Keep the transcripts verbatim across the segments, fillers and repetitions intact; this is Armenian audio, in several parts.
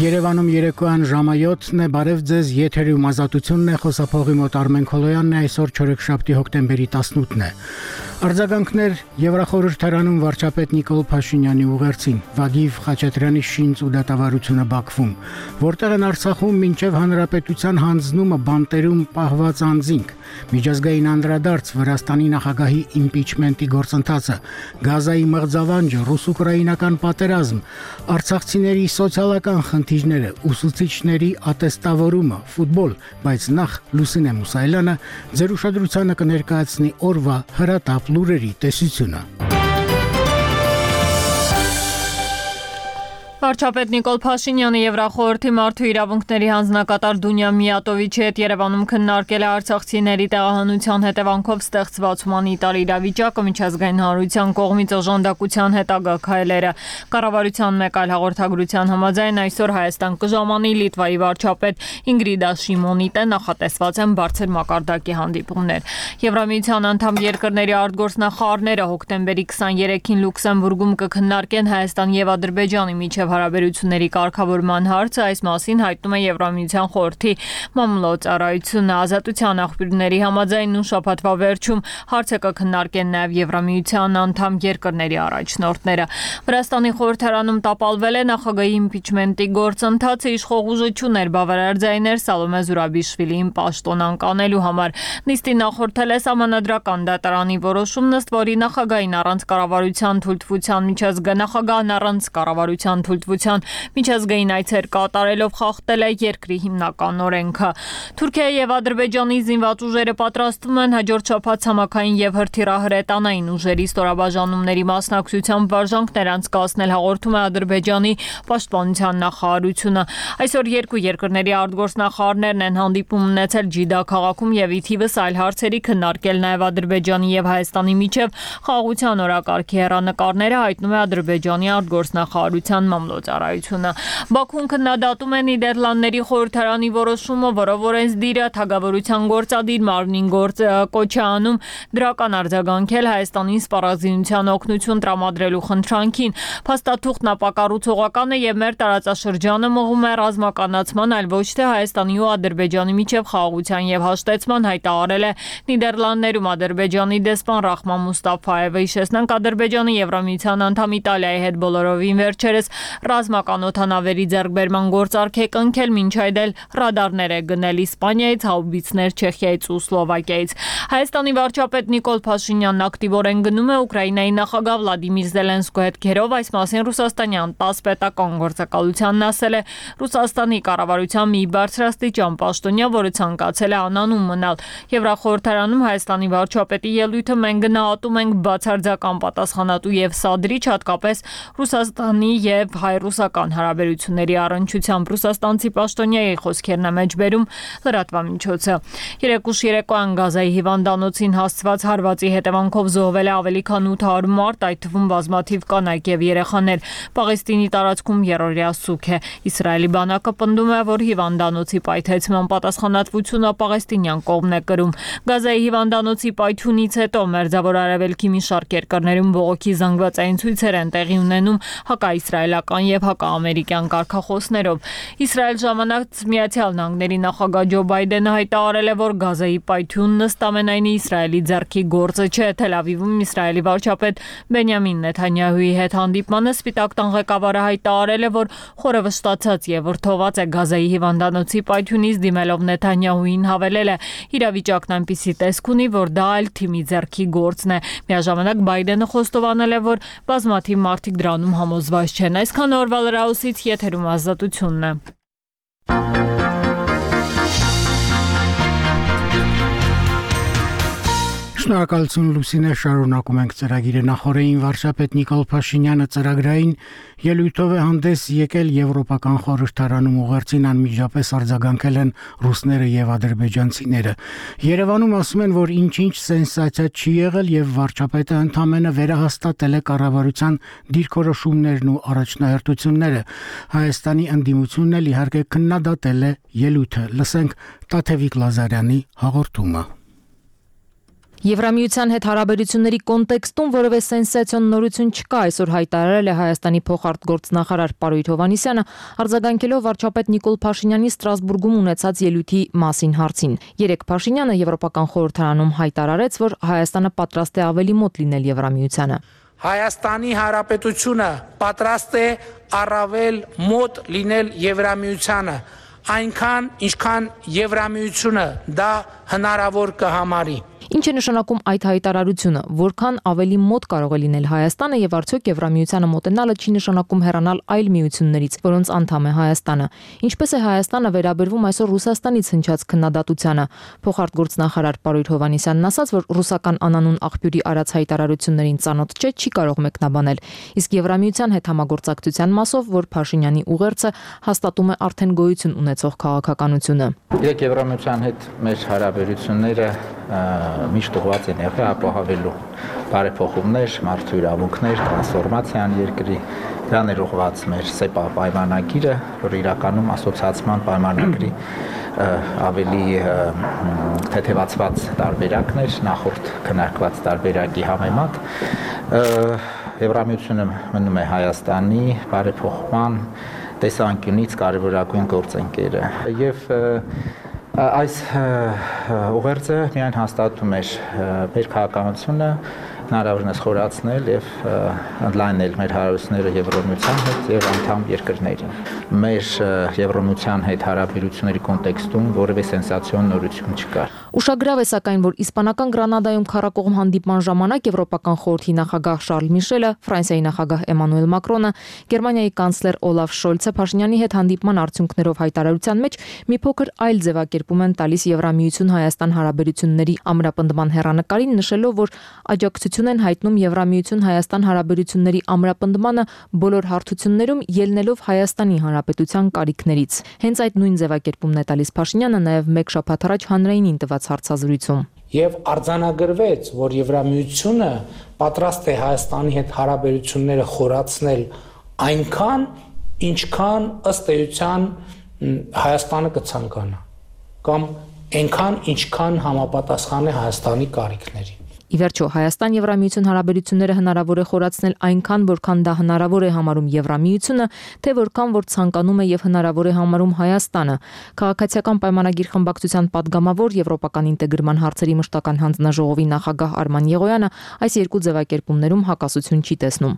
Երևանում երեկոյան ժամը յոթն է, բարև ձեզ, եթերում ազատությունն է, խոսափողի մոտ Արմեն Քոլոյանն է, այսօր չորեքշաբթի հոկտեմբերի տասնութն է։ Արձագանքներ Եվրախորհրդարանում վարչապետ Նիկոլ Փաշինյանի ուղերձին, Վադիվ Խաչատրյանի շինծ ու դատավարությունը Բաքվում, որտեղ են Արցախում մինչև հանրապետության հանձնումը բանտերում պահված անձինք, միջազգային անդրադարձ Վրաստանի նախագահի իմպիչմենտի գործընթացը, Գազայի մղձավանջը, ռուս-ուկրաինական պատերազմ, արցախցիների սոցիալական խնդիրները, ուսուցիչների ատեստավորումը, ֆուտբոլ, բայց նախ Լուսինե Մուսայելյանը ձեր ուշադրությանը կներկայացնի օրվա հրատապ լուրերի տեսությունը։ Վարչապետ Նիկոլ Փաշինյանը Եվրախորհրդի մարդու իրավունքների հանձնակատար Դունյա Միատովիչի հետ Երևանում քննարկել է արցախցիների տեղահանության հետևանքով ստեղծված հումանիտար իրավիճակը, միջազգային հանրության կողմից օժանդակության հետագա քայլերը։ Կառավարության մեկ այլ հաղորդագրության համաձայն այսօր Հայաստան կժամանի Լիտվայի վարչապետ Ինգրիդա Շիմոնիտե նախատեսված են բարձր մակարդակի հանդիպումներ։ Եվրամիության անդամ երկրների արտգործնախարարները հոկտեմբերի քսաներեքին Լյուքսեմբուրգում կքննարկեն Հայաստան եւ Ադրբեջանի միջև հարաբերությունների կարգավորման հարցը, այս մասին հայտնում է Եվրամիության խորհրդի մամլոյցարայությունը։ Ազատության աղբյուրների համաձայն նույն շաբաթվա վերջում հարցը կքննարկեն նաև Եվրամիության անդամ երկրների առաջնորդները։ Վրաստանի խորհրդարանում տապալվել է նախագահի իմպիչմենտի գործընթացը, իշխող ուժը չուներ բավարար ձայներ Սալոմե Զուրաբիշվիլիին պաշտոնան կանելու համար։ Նիստին նախորդել է սահմանադրական դատարանի որոշումն, ըստ որի նախագահին առանց կառավարության թույլտվության միջազգային նախագահն առանց կառավարության թույլտվության միջազգային այցեր կատարելով խախտել է երկրի հիմնական օրենքը։ Թուրքիայի եւ Ադրբեջանի զինված ուժերը պատրաստվում են հաջորդ շաբաթ ցամաքային եւ հրթիռահրետանային ուժերի ստորաբաժանումների մասնակցությամբ վարժանքներ անցկացնել, հաղորդում է Ադրբեջանի պաշտպանության նախարարությունը։ Այսօր երկու երկրների արտգործնախարարներն են հանդիպում ունեցել Ջիդա քաղաքում եւ ի թիվս այլ հարցերի քննարկել նաեւ Ադրբեջանի եւ Հայաստանի միջև խաղաղության օրակարգի հեռանկարները, հայտնում է Ադրբեջանի արտգործնախարարության մամլոյցարայությունը։ Բաքուն քննադատում է Նիդերլանդների խորհրդարանի որոշումը, որով օրենսդիրը թագավորության գործադիր մարմնին գործ կոչ է անում դրական արձագանքել Հայաստանին սպառազինության օգնություն տրամադրելու խնդրանքին։ Փաստաթուղթն ապակառուցողական է եւ մեր տարածաշրջանը մղում է ռազմականացման, այլ ոչ թե Հայաստանի ու Ադրբեջանի միջև խաղաղության եւ հաշտեցման, հայտարարել է Նիդերլանդներում Ադրբեջանի դեսպան Ռախման Մուստաֆայևը։ Հիշեցնենք, Ադրբեջանը Եվրամիության անդամ Իտալիայի հետ բոլորովին վերջերս ռազմական օդանավերի ձեռքբերման գործարք է կնքել, մինչ այդ էլ ռադարներ է գնել Իսպանիայից, հաուբիցներ Չեխիայից ու Սլովակիայից։ Հայաստանի վարչապետ Նիկոլ Փաշինյանն ակտիվորեն գնում է Ուկրաինայի նախագահ Վլադիմիր Զելենսկու հետ քերով, այս մասին ռուսաստանյան ՏԱՍՍ պետական գործակալությանն ասել է Ռուսաստանի կառավարության մի բարձրաստիճան պաշտոնյա, որը ցանկացել է անանուն մնալ։ Եվրախորհրդարանում Հայաստանի վարչապետի ելույթը մենք գնահատում ենք բացարձական պատասխանատու եւ սադրիչ, հատկապես Ռուսաստանի եւ հայ-ռուսական հարաբերությունների առնչությամբ, ռուսաստանցի պաշտոնյայի խոսքերն է մեջբերում լրատվամիջոցը։ Երեկուշ երեկոյան Գազայի հիվանդանոցին հասցված հարվածի հետևանքով զոհվել է ավելի քան ութ հարյուր մարդ, այդ թվում բազմաթիվ կանայք եւ երեխաներ։ Պաղեստինի տարածքում երրորդյա սուգ է։ Իսրայելի բանակը պնդում է, որ հիվանդանոցի պայթեցման պատասխանատվությունը պաղեստինյան կողմն է կրում։ Գազայի հիվանդանոցի պայթյունից հետո Մերձավոր Արևելքի մի շարք երկրներում բողոքի զանգվածային ցույցեր են տեղի ունենում հակաիսրայելական եւ հակաամերիկյան կարգախոսներով։ Իսրայել ժամանակ Միացյալ Նահանգների նախագահ Ջո Բայդենը հայտարարել է, որ Գազայի պայթյունն ըստ ամենայնի Իսրայելի ձեռքի գործը չէ։ Թել Ավիվում Իսրայելի վարչապետ Բենյամին Նեթանյահուի հետ հանդիպմանը Սպիտակ տան ղեկավարը հայտարարել է, որ խորը վշտացած եւ վրդոված է Գազայի հիվանդանոցի պայթյունից, դիմելով Նեթանյահուին հավելել է. իրավիճակն այնպիսի տեսք ունի, որ դա այլ թիմի ձեռքի գործն է։ Միաժամանակ Բայդենը խոստովանել է, որ բազմաթիվ մարդիկ դրանում համոզված չեն։ Այսքան օրվա լրահոսից եթերում ազատությունն է։ Շնորհակալություն Լուսինե, շարունակում ենք ծրագիրը։ Նախորդին վարչապետ Նիկոլ Փաշինյանը ծրագրային ելույթով է հանդես եկել Եվրոպական խորհրդարանում, ուղերձին անմիջապես արձագանքել են ռուսները եւ ադրբեջանցիները։ Երևանում ասում են, որ ինչ-ինչ սենսացիա չի եղել եւ վարչապետը ընդամենը վերահաստատել է կառավարության դիրքորոշումներն ու առաջնահերթությունները։ Հայաստանի ընդդիմությունն էլ իհարկե քննադատել է ելույթը։ Լսենք Տաթևիկ Լազարյանի հաղորդումը։ Եվրամիության հետ հարաբերությունների կոնտեքստում որևէ սենսացիոն նորություն չկա, այսօր հայտարարել է Հայաստանի փոխարտգործնախարար Պարույր Հովհաննիսյանը, արձագանքելով վարչապետ Նիկոլ Փաշինյանի Ստրասբուրգում ունեցած ելույթի մասին հարցին։ Երեկ Փաշինյանը Եվրոպական խորհրդարանում հայտարարեց, որ Հայաստանը պատրաստ է ավելի մոտ լինել Եվրամիությանը։ Հայաստանի Հանրապետությունը պատրաստ է առավել մոտ լինել Եվրամիությանը, այնքան ինչքան Եվրամիությունը դա հնարավոր կհամարի։ Ինչ է նշանակում այդ հայտարարությունը, որքան ավելի մոտ կարող է լինել Հայաստանը եւ արդյոք Եվրամիությանը մոտենալը չի նշանակում հեռանալ այլ միություններից, որոնց անդամ է Հայաստանը։ Ինչպես է Հայաստանը վերաբերվում այսօր Ռուսաստանից հնչած քննադատությանը։ Փոխարտգործնախարար Պարույր Հովհաննիսյանն ասաց, որ ռուսական անանուն աղբյուրի արած հայտարարություններին ծանոթ չէ, չի կարող մեկնաբանել։ Իսկ Եվրամիության հետ համագործակցության մասով, որ Փաշինյանի ուղերձը հաստատում է արդեն գոյություն ունեցող քաղաքականությունը։ Իրեք Եվրամիության հետ մեր հարաբերությունները միշտ ուղղված են եղել ապահովելու բարեփոխումներ, մարդու իրավունքներ, տրանսֆորմացիան երկրի, դրան էր ուղղված մեր ՍԵՊԱ պայմանագիրը, որ իրականում ասոցիացման պայմանագրի ավելի թեթևացված տարբերակներ, նախորդ քննարկված տարբերակի համեմատ Եվրամիությունը մնում է Հայաստանի բարեփոխման տեսանկյունից կարևորագույն գործընկերը եւ այս ուղերձը միայն հաստատում էր մեր քաղաքականությունը հնարավորինս խորացնել եւ ընդլայնել մեր հարաբերությունները Եվրոմիության հետ եւ անդամ երկրներին։ Մեր Եվրոմիության հետ հարաբերությունների կոնտեքստում որևէ սենսացիոն նորություն չկար։ Ուշագրավ է սակայն, որ իսպանական Գրանադայում քառակողմ հանդիպման ժամանակ Եվրոպական խորհրդի նախագահ Շարլ Միշելը, Ֆրանսիայի նախագահ Էմանուել Մակրոնը, Գերմանիայի կանցլեր Օլաֆ Շոլցը Փաշինյանի հետ հանդիպման արդյունքներով հայտարարության մեջ մի փոքր այլ ձևակերպում են տալիս Եվրամիություն-Հայաստան հարաբերությունների ամրապնդման հեռանկարին, նշելով, որ աջակցություն են հայտնում Եվրամիություն-Հայաստան հարաբերությունների ամրապնդմանը բոլոր հարթություններում, ելնելով Հայաստանի Հանրապետության կարիքներից։ Հենց այդ նույն ձևակերպումն է տալիս Փաշինյանը նաև մեկ շաբաթ առաջ հանրայինին տված հարցազրույցում։ Եվ արձանագրվեց, որ Եվրամիությունը պատրաստ է Հայաստանի հետ հարաբերությունները խորացնել այնքան, ինչքան ըստ էության Հայաստանը կցանկանա, կամ այնքան, ինչքան համապատասխան է Հայաստանի կարիքներին։ Ի վերջո, Հայաստան-Եվրամիություն հարաբերությունները հնարավոր է խորացնել այնքան, որքան դա հնարավոր է համարում Եվրամիությունը, թե որքան որ ցանկանում է եւ հնարավոր է համարում Հայաստանը։ Քաղաքացիական պայմանագիր խմբակցության падգամավոր Եվրոպական ինտեգրման հարցերի մշտական հանձնաժողովի նախագահ Արման Եղոյանը այս երկու ձևակերպումներում հակասություն չի տեսնում։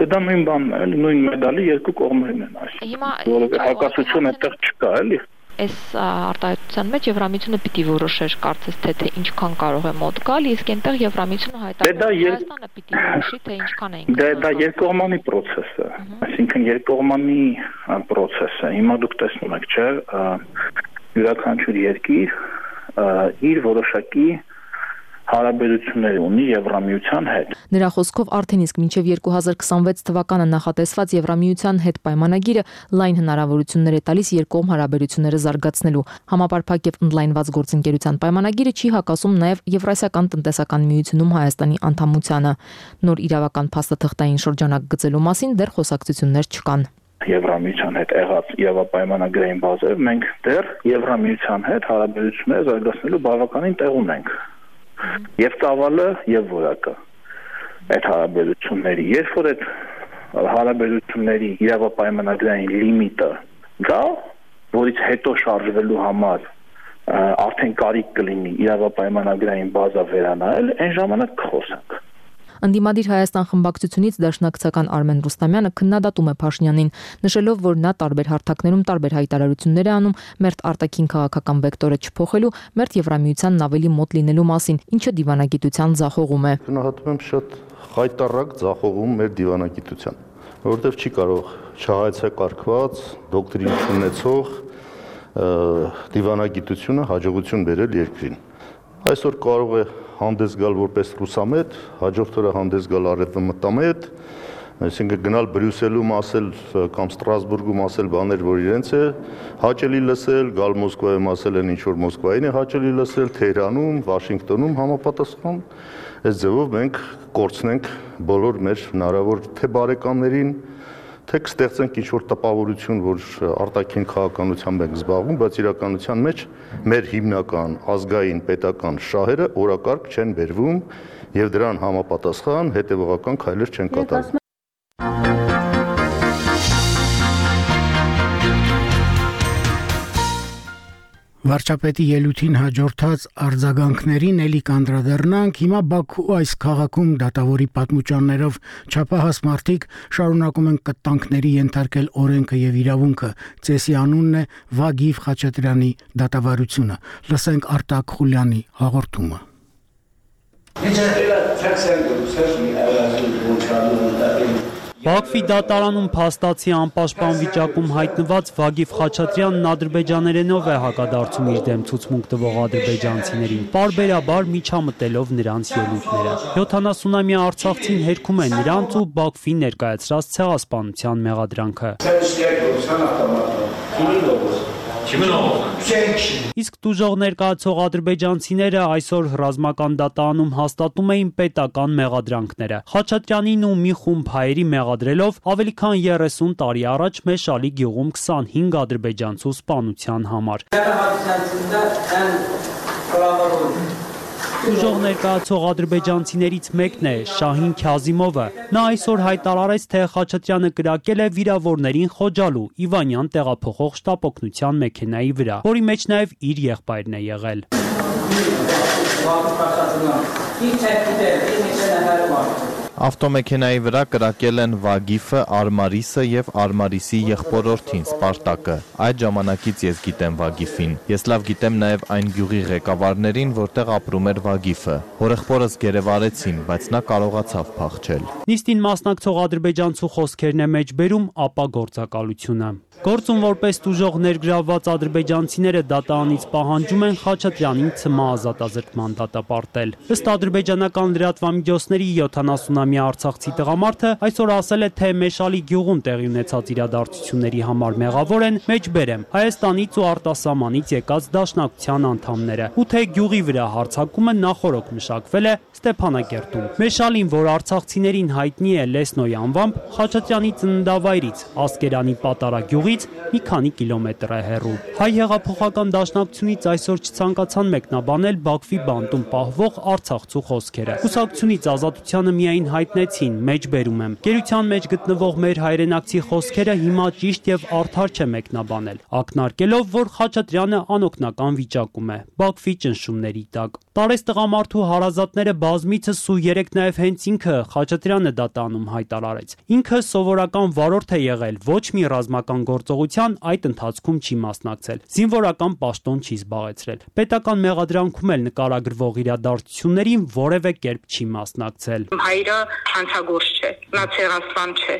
Դա նույն բանն է, նույն մեդալի երկու կողմերն են, այսինքն հակասություն այդտեղ չկա, էլի։ Այս արտահայտության մեջ Եվրամիությունը պիտի որոշեր կարծես թե թե ինչքան կարող է մոտ գալ, իսկ այնտեղ Եվրամիությունը հայտարարում է Հայաստանը պիտի որոշի թե ինչքան է ինքը։ Դա երկկողմանի process է, այսինքն երկկողմանի process է։ Հիմա դուք տեսնում եք, չէ՞, յուրաքանչյուր երկիր իր որոշակի հարաբերություններ ունի Եվրամիության հետ։ Նրա խոսքով արդեն իսկ մինչև երկու հազար քսանվեց թվականը նախատեսված Եվրամիության հետ պայմանագիրը լայն հնարավորություններ է տալիս երկկողմ հարաբերությունները զարգացնելու։ Համապարփակ եւ ընդլայնված գործընկերության պայմանագիրը չի հակասում նաեւ Եվրասիական տնտեսական միությունում Հայաստանի անդամությանը։ Նոր իրավական փաստաթղթային շրջանակ գծելու մասին դեռ խոսակցություններ չկան։ Եվրամիության հետ եղած իրավապայմանագրային բազայով մենք դեռ Եվրամիության հետ հարաբերությունները զարգացնելու բավականին տեղ ունենք։ Եվ ծավալը եւ որակը այդ հարաբերությունների, երբ որ այդ հարաբերությունների իրավապայմանագրային լիմիտը գա, որից հետո շարժվելու համար արդեն կարիք կլինի իրավապայմանագրային բազա վերանայել, այն ժամանակ կխոսենք։ Ընդդիմադիր Հայաստան խմբակցությունից դաշնակցական Արմեն Ռուստամյանը քննադատում է Փաշինյանին, նշելով, որ նա տարբեր հարթակներում տարբեր հայտարարություններ է անում մերթ արտաքին քաղաքական վեկտորը չփոխելու, մերթ Եվրամիությանն ավելի մոտ լինելու մասին, ինչը դիվանագիտության ձախողում է։ Գնահատում եմ շատ խայտառակ ձախողում մեր դիվանագիտության, որովհետև չի կարող չհայեցակարգված, դոկտրին ունեցող դիվանագիտությունը հաջողություն բերել երկրին։ Այսօր կարող է հանդես գալ որպես ռուսամետ, հաջորդ օրը հանդես գալ արևմտամետ, այսինքն գնալ Բրյուսելում ասել կամ Ստրասբուրգում ասել բաներ, որ իրենց է հաճելի լսել, գալ Մոսկվայում ասել են ինչ որ Մոսկվային է հաճելի լսել, Թեհրանում, Վաշինգտոնում համապատասխան։ Այս ձևով մենք կորցնենք բոլոր մեր հնարավոր թե բարեկամներին, թե կստեղծենք ինչ-որ տպավորություն, որ արտաքին քաղաքականությամբ ենք զբաղվում, բայց իրականության մեջ մեր հիմնական ազգային պետական շահերը օրակարգ չեն բերվում եւ դրան համապատասխան հետեւողական քայլեր չեն կատարվում։ Վարչապետի ելույթին հաջորդած արձագանքներին էլի կանդրադառնանք, հիմա Բաքու այս քաղաքում դատավորի պատմուճաններով չափահաս մարդիկ շարունակում են կտանքների ենթարկել օրենքը եւ իրավունքը, ծեսի անունն է Վագիվ Խաչատրյանի դատավարությունը։ Լսենք Արտակ Խուլյանի հաղորդումը։ Բաքվի դատարանում փաստացի անպաշտպան վիճակում հայտնված Վագիվ Խաչատրյանն ադրբեջաներենով է հակադարձում իր դեմ ցուցմունք տվող ադրբեջանցիներին, պարբերաբար միջամտելով նրանց ելույթները։ յոթանասունամյա արցախցին հերքում է նրանց ու Բաքվի ներկայացրած ցեղասպանության մեղադրանքը։ Իսկ տուժող ներկայացող ադրբեջանցիները այսօր ռազմական դատարանում հաստատում էին պետական մեղադրանքները։ Խաչատրյանին ու մի խումբ հայերի մեղադրելով ավելի քան երեսուն տարի առաջ Մեշալի գյուղում քսանհինգ ադրբեջանցու սպանության համար։ Տուժող ներկայացող ադրբեջանցիներից մեկն է Շահին Քազիմովը։ Նա այսօր հայտարարեց, թե Խաչատրյանը կրակել է վիրավորներին խոջալու Իվանյան տեղափոխող շտապօգնության մեքենայի վրա, որի մեջ նաև իր եղբայրն է եղել։ Ավտոմեքենայի վրա կրակել են Վագիֆը, Արմարիսը եւ Արմարիսի եղբորորդին Սպարտակը։ Այդ ժամանակից ես գիտեմ Վագիֆին։ Ես լավ գիտեմ նաեւ այն գյուղի ղեկավարներին, որտեղ ապրում էր Վագիֆը։ Հորեղբորս գերեվարեցին, բայց նա կարողացավ փախչել։ Նիստին մասնակցող ադրբեջանցու խոսքերն է մեջբերում ապա գործակալությունը։ Գործում որպես տուժող ներգրավված ադրբեջանցիները դատարանից պահանջում են Խաչատրյանին ցմահ ազատազրկման դատապարտել։ Ըստ ադրբեջանական լրատվամիջոցների յոթանասունամյա արցախցի տղամարդը այսօր ասել է, թե Մեշալի գյուղում տեղի ունեցած իրադարձությունների համար մեղավոր են, մեջբերեմ, Հայաստանից ու արտասահմանից եկած դաշնակցության անդամները, ու թե գյուղի վրա հարձակումը նախօրոք մշակվել է Ստեփանակերտում։ Մեշալին, որ արցախցիներին հայտնի է Լեսնոյ անվամբ, Խաչատրյանի ծննդավայրից Ասկերանի պատարագյուղից մի քանի կիլոմետր է հեռու։ Հայ հեղափոխական դաշնակցությունից այսօր չցանկացան մեկնաբանել Բաքվի բանտում պահվող արցախցու խոսքերը։ Կուսակցությունից ազատությանը միայն հայտնեցին, մեջբերում եմ։ Գերության մեջ գտնվող մեր հայրենակցի խոսքերը հիմա ճիշտ եւ արդար չէ մեկնաբանել, ակնարկելով, որ Խաչատրյանը անօգնական վիճակում է Բաքվի ճնշումների տակ։ Տարես տղամարդու հարազատները բազմիցս ու երեք նաև հենց ինքը Խաչատրյանը դատարանում հայտարարեց։ Ինքը սովորական վարորդ է եղել, ոչ մի ռազմական գործողության այդ ընթացքում չի մասնակցել, զինվորական պաշտոն չի զբաղեցրել։ Պետական մեղադրանքում էլ նկարագրվող իրադարձություններին որևէ կերպ չի մասնակցել։ Հայրը հանցագործ չէ, նա ցեղասպան չէ։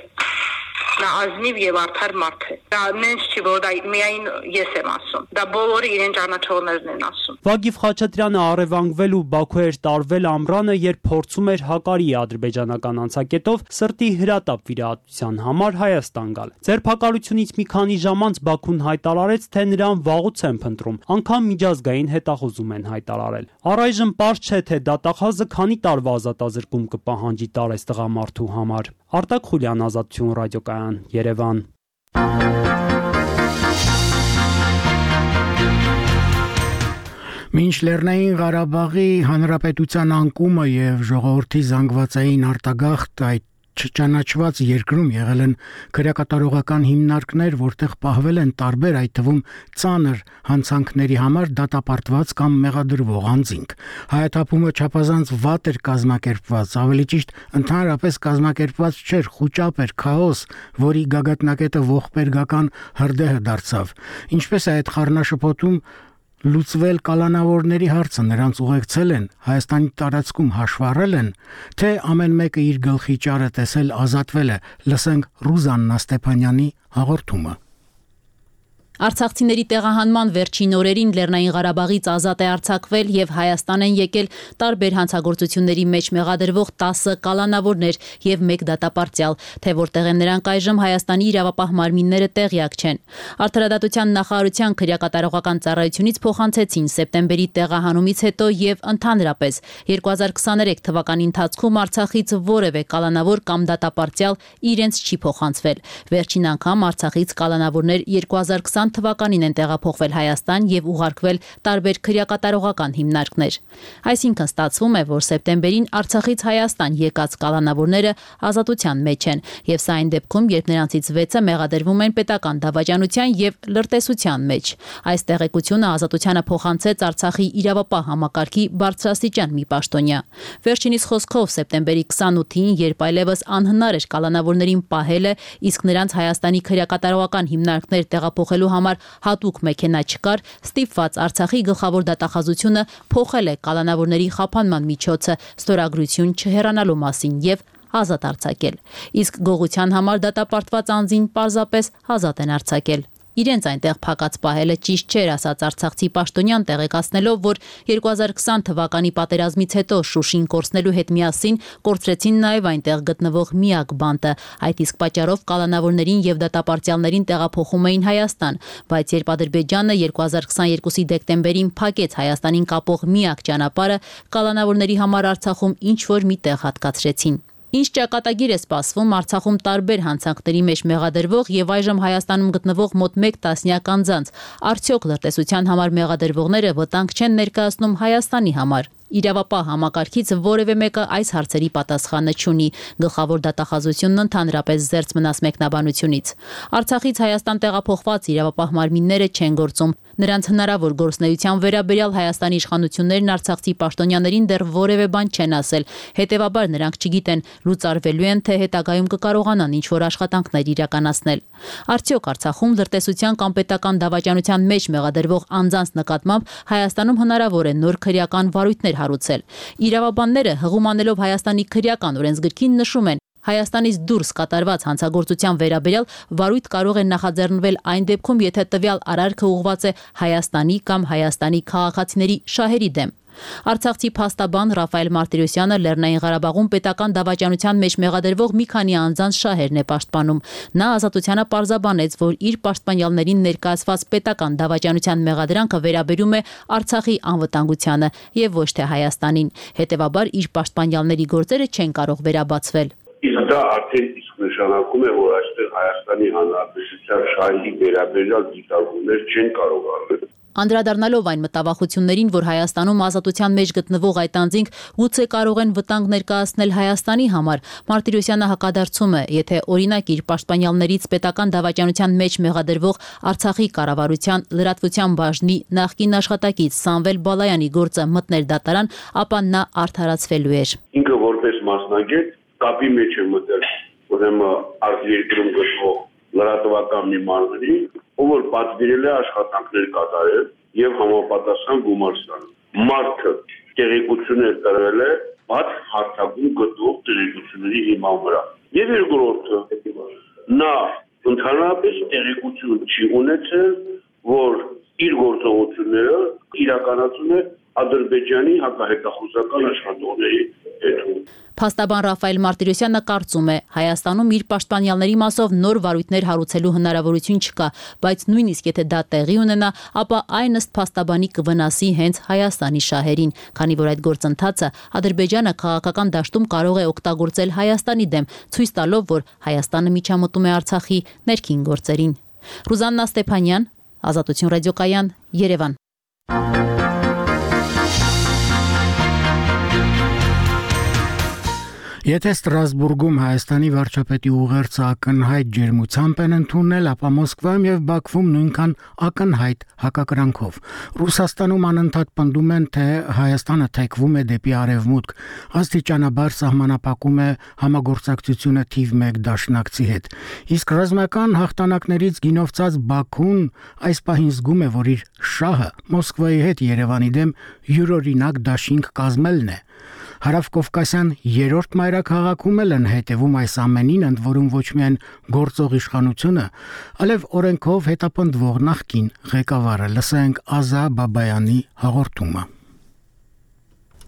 Նա ազնիվ եւ արդար մարդ է։ Դա նենց չի, որ դա միայն ես եմ ասում։ Դա բոլորը իրեն ճանաչողներն են ասում։ Վագիվ Խաչատրյանը առևանգվել ու Բաքու էր տարվել ամռանը, երբ փորձում էր հակարի ադրբեջանական անցակետով սրտի հրատապ վիրահատության համար Հայաստան գալ։ Ձերբակալությունից մի քանի ժամ անց Բաքուն հայտարարեց, թե նրան վաղուց են փնտրում, անգամ միջազգային հետախուզում են հայտարարել։ Առայժմ պարզ չէ, թե դատախազը քանի տարվա ազատազրկում կպահանջի տարես տղամարդու համար։ Արտակ Խուլյան, Ազատություն ռադիոկայան, Երևան։ Մինչ Լեռնային Ղարաբաղի Հանրապետության անկումը եւ ժողովրդի զանգվածային արտագաղթ այդ չճանաչված երկրում եղել են քրեակատարողական հիմնարկներ, որտեղ պահվել են տարբեր, այդ թվում ծանր հանցանքների համար դատապարտված կամ մեղադրվող անձինք։ Հայաթափումը չափազանց վատ էր կազմակերպված, ավելի ճիշտ ընդհանրապես կազմակերպված չէր, խուճապ էր, քաոս, որի գագաթնակետը ողբերգական հրդեհը դարձավ։ Ինչպես է այդ խառնաշփոթում լուծվել կալանավորների հարցը, նրանց ուղեկցել են, Հայաստանի տարածքում հաշվառել են, թե ամեն մեկը իր գլխի ճարը տեսել ազատվել է, լսենք Ռուզաննա Ստեփանյանի հաղորդումը։ Արցախցիների տեղահանման վերջին օրերին Լեռնային Ղարաբաղից ազատ է արձակվել եւ Հայաստան են եկել տարբեր հանցագործությունների մեջ մեղադրվող տասը կալանավորներ եւ մեկ դատապարտյալ, թե որտեղ են նրանք այժմ Հայաստանի իրավապահ մարմինները տեղյակ չեն։ Արդարադատության նախարարության քրեակատարողական ծառայությունից փոխանցեցին սեպտեմբերի տեղահանումից հետո եւ ընդհանրապես երկու հազար քսաներեք թվականի ընթացքում Արցախից որևէ կալանավոր կամ դատապարտյալ իրենց չի փոխանցվել։ Վերջին անգամ Արցախից կալանավորներ երկու հազար քսան թվականին են տեղափոխվել Հայաստան եւ ուղարկվել տարբեր քրեակատարողական հիմնարկներ։ Այսինքն ստացվում է, որ սեպտեմբերին Արցախից Հայաստան եկած կալանավորները ազատության մեջ են, եւ սա այն դեպքում, երբ նրանցից վեցը մեղադրվում են պետական դավաճանության եւ լրտեսության մեջ։ Այս տեղեկությունը ազատությանը փոխանցեց Արցախի իրավապահ համակարգի բարձրաստիճան մի պաշտոնյա։ Վերջինիս խոսքով սեպտեմբերի քսանութին, երբ այլևս անհնար էր կալանավորներին պահելը, իսկ նրանց Հայաստանի քրեակատարողական հիմնարկներ տեղափոխելու համար հատուկ մեքենա չկար, ստիպված Արցախի գլխավոր դատախազությունը փոխել է կալանավորների խափանման միջոցը ստորագրություն չհեռանալու մասին եւ ազատ արձակել։ Իսկ գողության համար դատապարտված անձին պարզապես ազատ են արձակել։ Իրենց այնտեղ փակած պահելը ճիշտ չէր, ասաց արցախցի պաշտոնյան, տեղեկացնելով, որ երկու հազար քսան թվականի պատերազմից հետո Շուշին կորցնելու հետ միասին կորցրեցին նաև այնտեղ գտնվող միակ բանտը։ Այդ իսկ պատճառով կալանավորներին եւ դատապարտյալներին տեղափոխում էին Հայաստան, բայց երբ Ադրբեջանը երկու հազար քսաներկուսի դեկտեմբերին փակեց Հայաստանին կապող միակ ճանապարհը, կալանավորների համար Արցախում ինչ որ մի տեղ հատկացրեցին։ Ինչ ճակատագիր է սպասվում Արցախում տարբեր հանցանքների մեջ մեղադրվող եւ այժմ Հայաստանում գտնվող մոտ մեկ տասնյակ անձանց, արդյոք լրտեսության համար մեղադրվողները վտանգ չեն ներկայացնում Հայաստանի համար։ Իրավապահ համակարգից որևէ մեկը այս հարցերի պատասխանը չունի։ Գլխավոր դատախազությունն ընդհանրապես զերծ մնաց մեկնաբանությունից։ Արցախից Հայաստան տեղափոխված իրավապահ մարմինները չեն գործում։ Նրանց հնարավոր գործունեության վերաբերյալ Հայաստանի իշխանություններն արցախցի պաշտոնյաներին դեռ որևէ բան չեն ասել։ Հետևաբար նրանք չգիտեն լուծարվելու են, թե հետագայում կկարողանան ինչ-որ աշխատանքներ իրականացնել։ Արդյոք Արցախում լրտեսության կամ պետական դավաճանության մեջ մեղադրվող անձանց նկատմամբ Հայաստանում հնարավոր է նոր քրեական վարույթներ հարուցել։ Իրավաբանները հղում անելով Հայաստանի քրեական օրենսգրքին նշում են, Հայաստանից դուրս կատարված հանցագործության վերաբերյալ վարույթ կարող է նախաձեռնվել այն դեպքում, եթե տվյալ արարքը ուղղված է Հայաստանի կամ Հայաստանի քաղաքացիների շահերի դեմ։ Արցախցի փաստաբան Ռաֆայել Մարտիրոսյանը Լեռնային Ղարաբաղում պետական դավաճանության մեջ մեղադրվող մի քանի անձանց շահերն է պաշտպանում։ Նա ազատությանը պարզաբանեց, որ իր պաշտպանյալներին ներկայացված պետական դավաճանության մեղադրանքը վերաբերում է Արցախի անվտանգությանը եւ ոչ թե Հայաստանին։ Հետևաբար իր պաշտպանյալների գործերը չեն կարող վերաբացվել։ Իսկ դա արդեն իսկ նշանակում է, որ այստեղ Հայաստանի Հանրապետության շահերի վերաբերյալ դիտարկումներ չեն կարող արվել։ Անդրադառնալով այն մտավախություններին, որ Հայաստանում ազատության մեջ գտնվող այդ անձինք գուցե կարող են վտանգ ներկայացնել Հայաստանի համար, Մարտիրոսյանը հակադարձում է, եթե օրինակ իր պաշտպանյալներից պետական դավաճանության մեջ մեղադրվող Արցախի կառավարության լրատվության բաժնի նախկին աշխատակից Սամվել Բալայանի գործը մտներ դատարան, ապա նա արդարացվելու էր։ Ինքը որպես մասնագետ կապի մեջ է մտել, ուրեմն արտերկրում գտնվող լրատվական մի մարմնի, ով որ պատվիրել է աշխատանքներ կատարել եւ համապատասխան գումար ստանում։ Մարդը տեղեկություններ տրվել է բաց հարթակում գտնվող տեղեկությունների հիման վրա։ Եվ երկրորդը, նա ընդհանրապես տեղեկություն չի ունեցել, որ իր գործողությունները իրականացում է Ադրբեջանի հակահետախուզական աշխատողների հետ։ Փաստաբան Ռաֆայել Մարտիրոսյանը կարծում է, Հայաստանում իր պաշտպանյալների մասով նոր վարույթներ հարուցելու հնարավորություն չկա, բայց նույնիսկ եթե դա տեղի ունենա, ապա այն ըստ փաստաբանի կվնասի հենց Հայաստանի շահերին, քանի որ այդ գործընթացը Ադրբեջանը քաղաքական դաշտում կարող է օգտագործել Հայաստանի դեմ, ցույց տալով, որ Հայաստանը միջամտում է Արցախի ներքին գործերին։ Ռուզաննա Ստեփանյան, Ազատություն ռադիոկայան, Երևան։ Եթե Ստրասբուրգում Հայաստանի վարչապետի ուղերձը ակնհայտ ջերմությամբ են ընդունել, ապա Մոսկվայում եւ Բաքվում նույնքան ակնհայտ հակակրանքով։ Ռուսաստանում անընդհատ պնդում են, թե Հայաստանը թեքվում է դեպի արևմուտք, աստիճանաբար սահմանափակում է համագործակցությունը թիվ մեկ դաշնակցի հետ։ Իսկ ռազմական հաղթանակներից գինովցած Բաքուն այս պահին զգում է, որ իր շահը Մոսկվայի հետ Երևանի դեմ յուրօրինակ դաշինք կազմելն է։ Հարավկովկասյան երրորդ մայրաքաղաքում էլ են հետևում այս ամենին, ընդ որում ոչ միայն գործող իշխանությունը, այլև օրենքով հետապնդվող նախկին ղեկավարը։ Լսենք Ազա Բաբայանի հաղորդումը։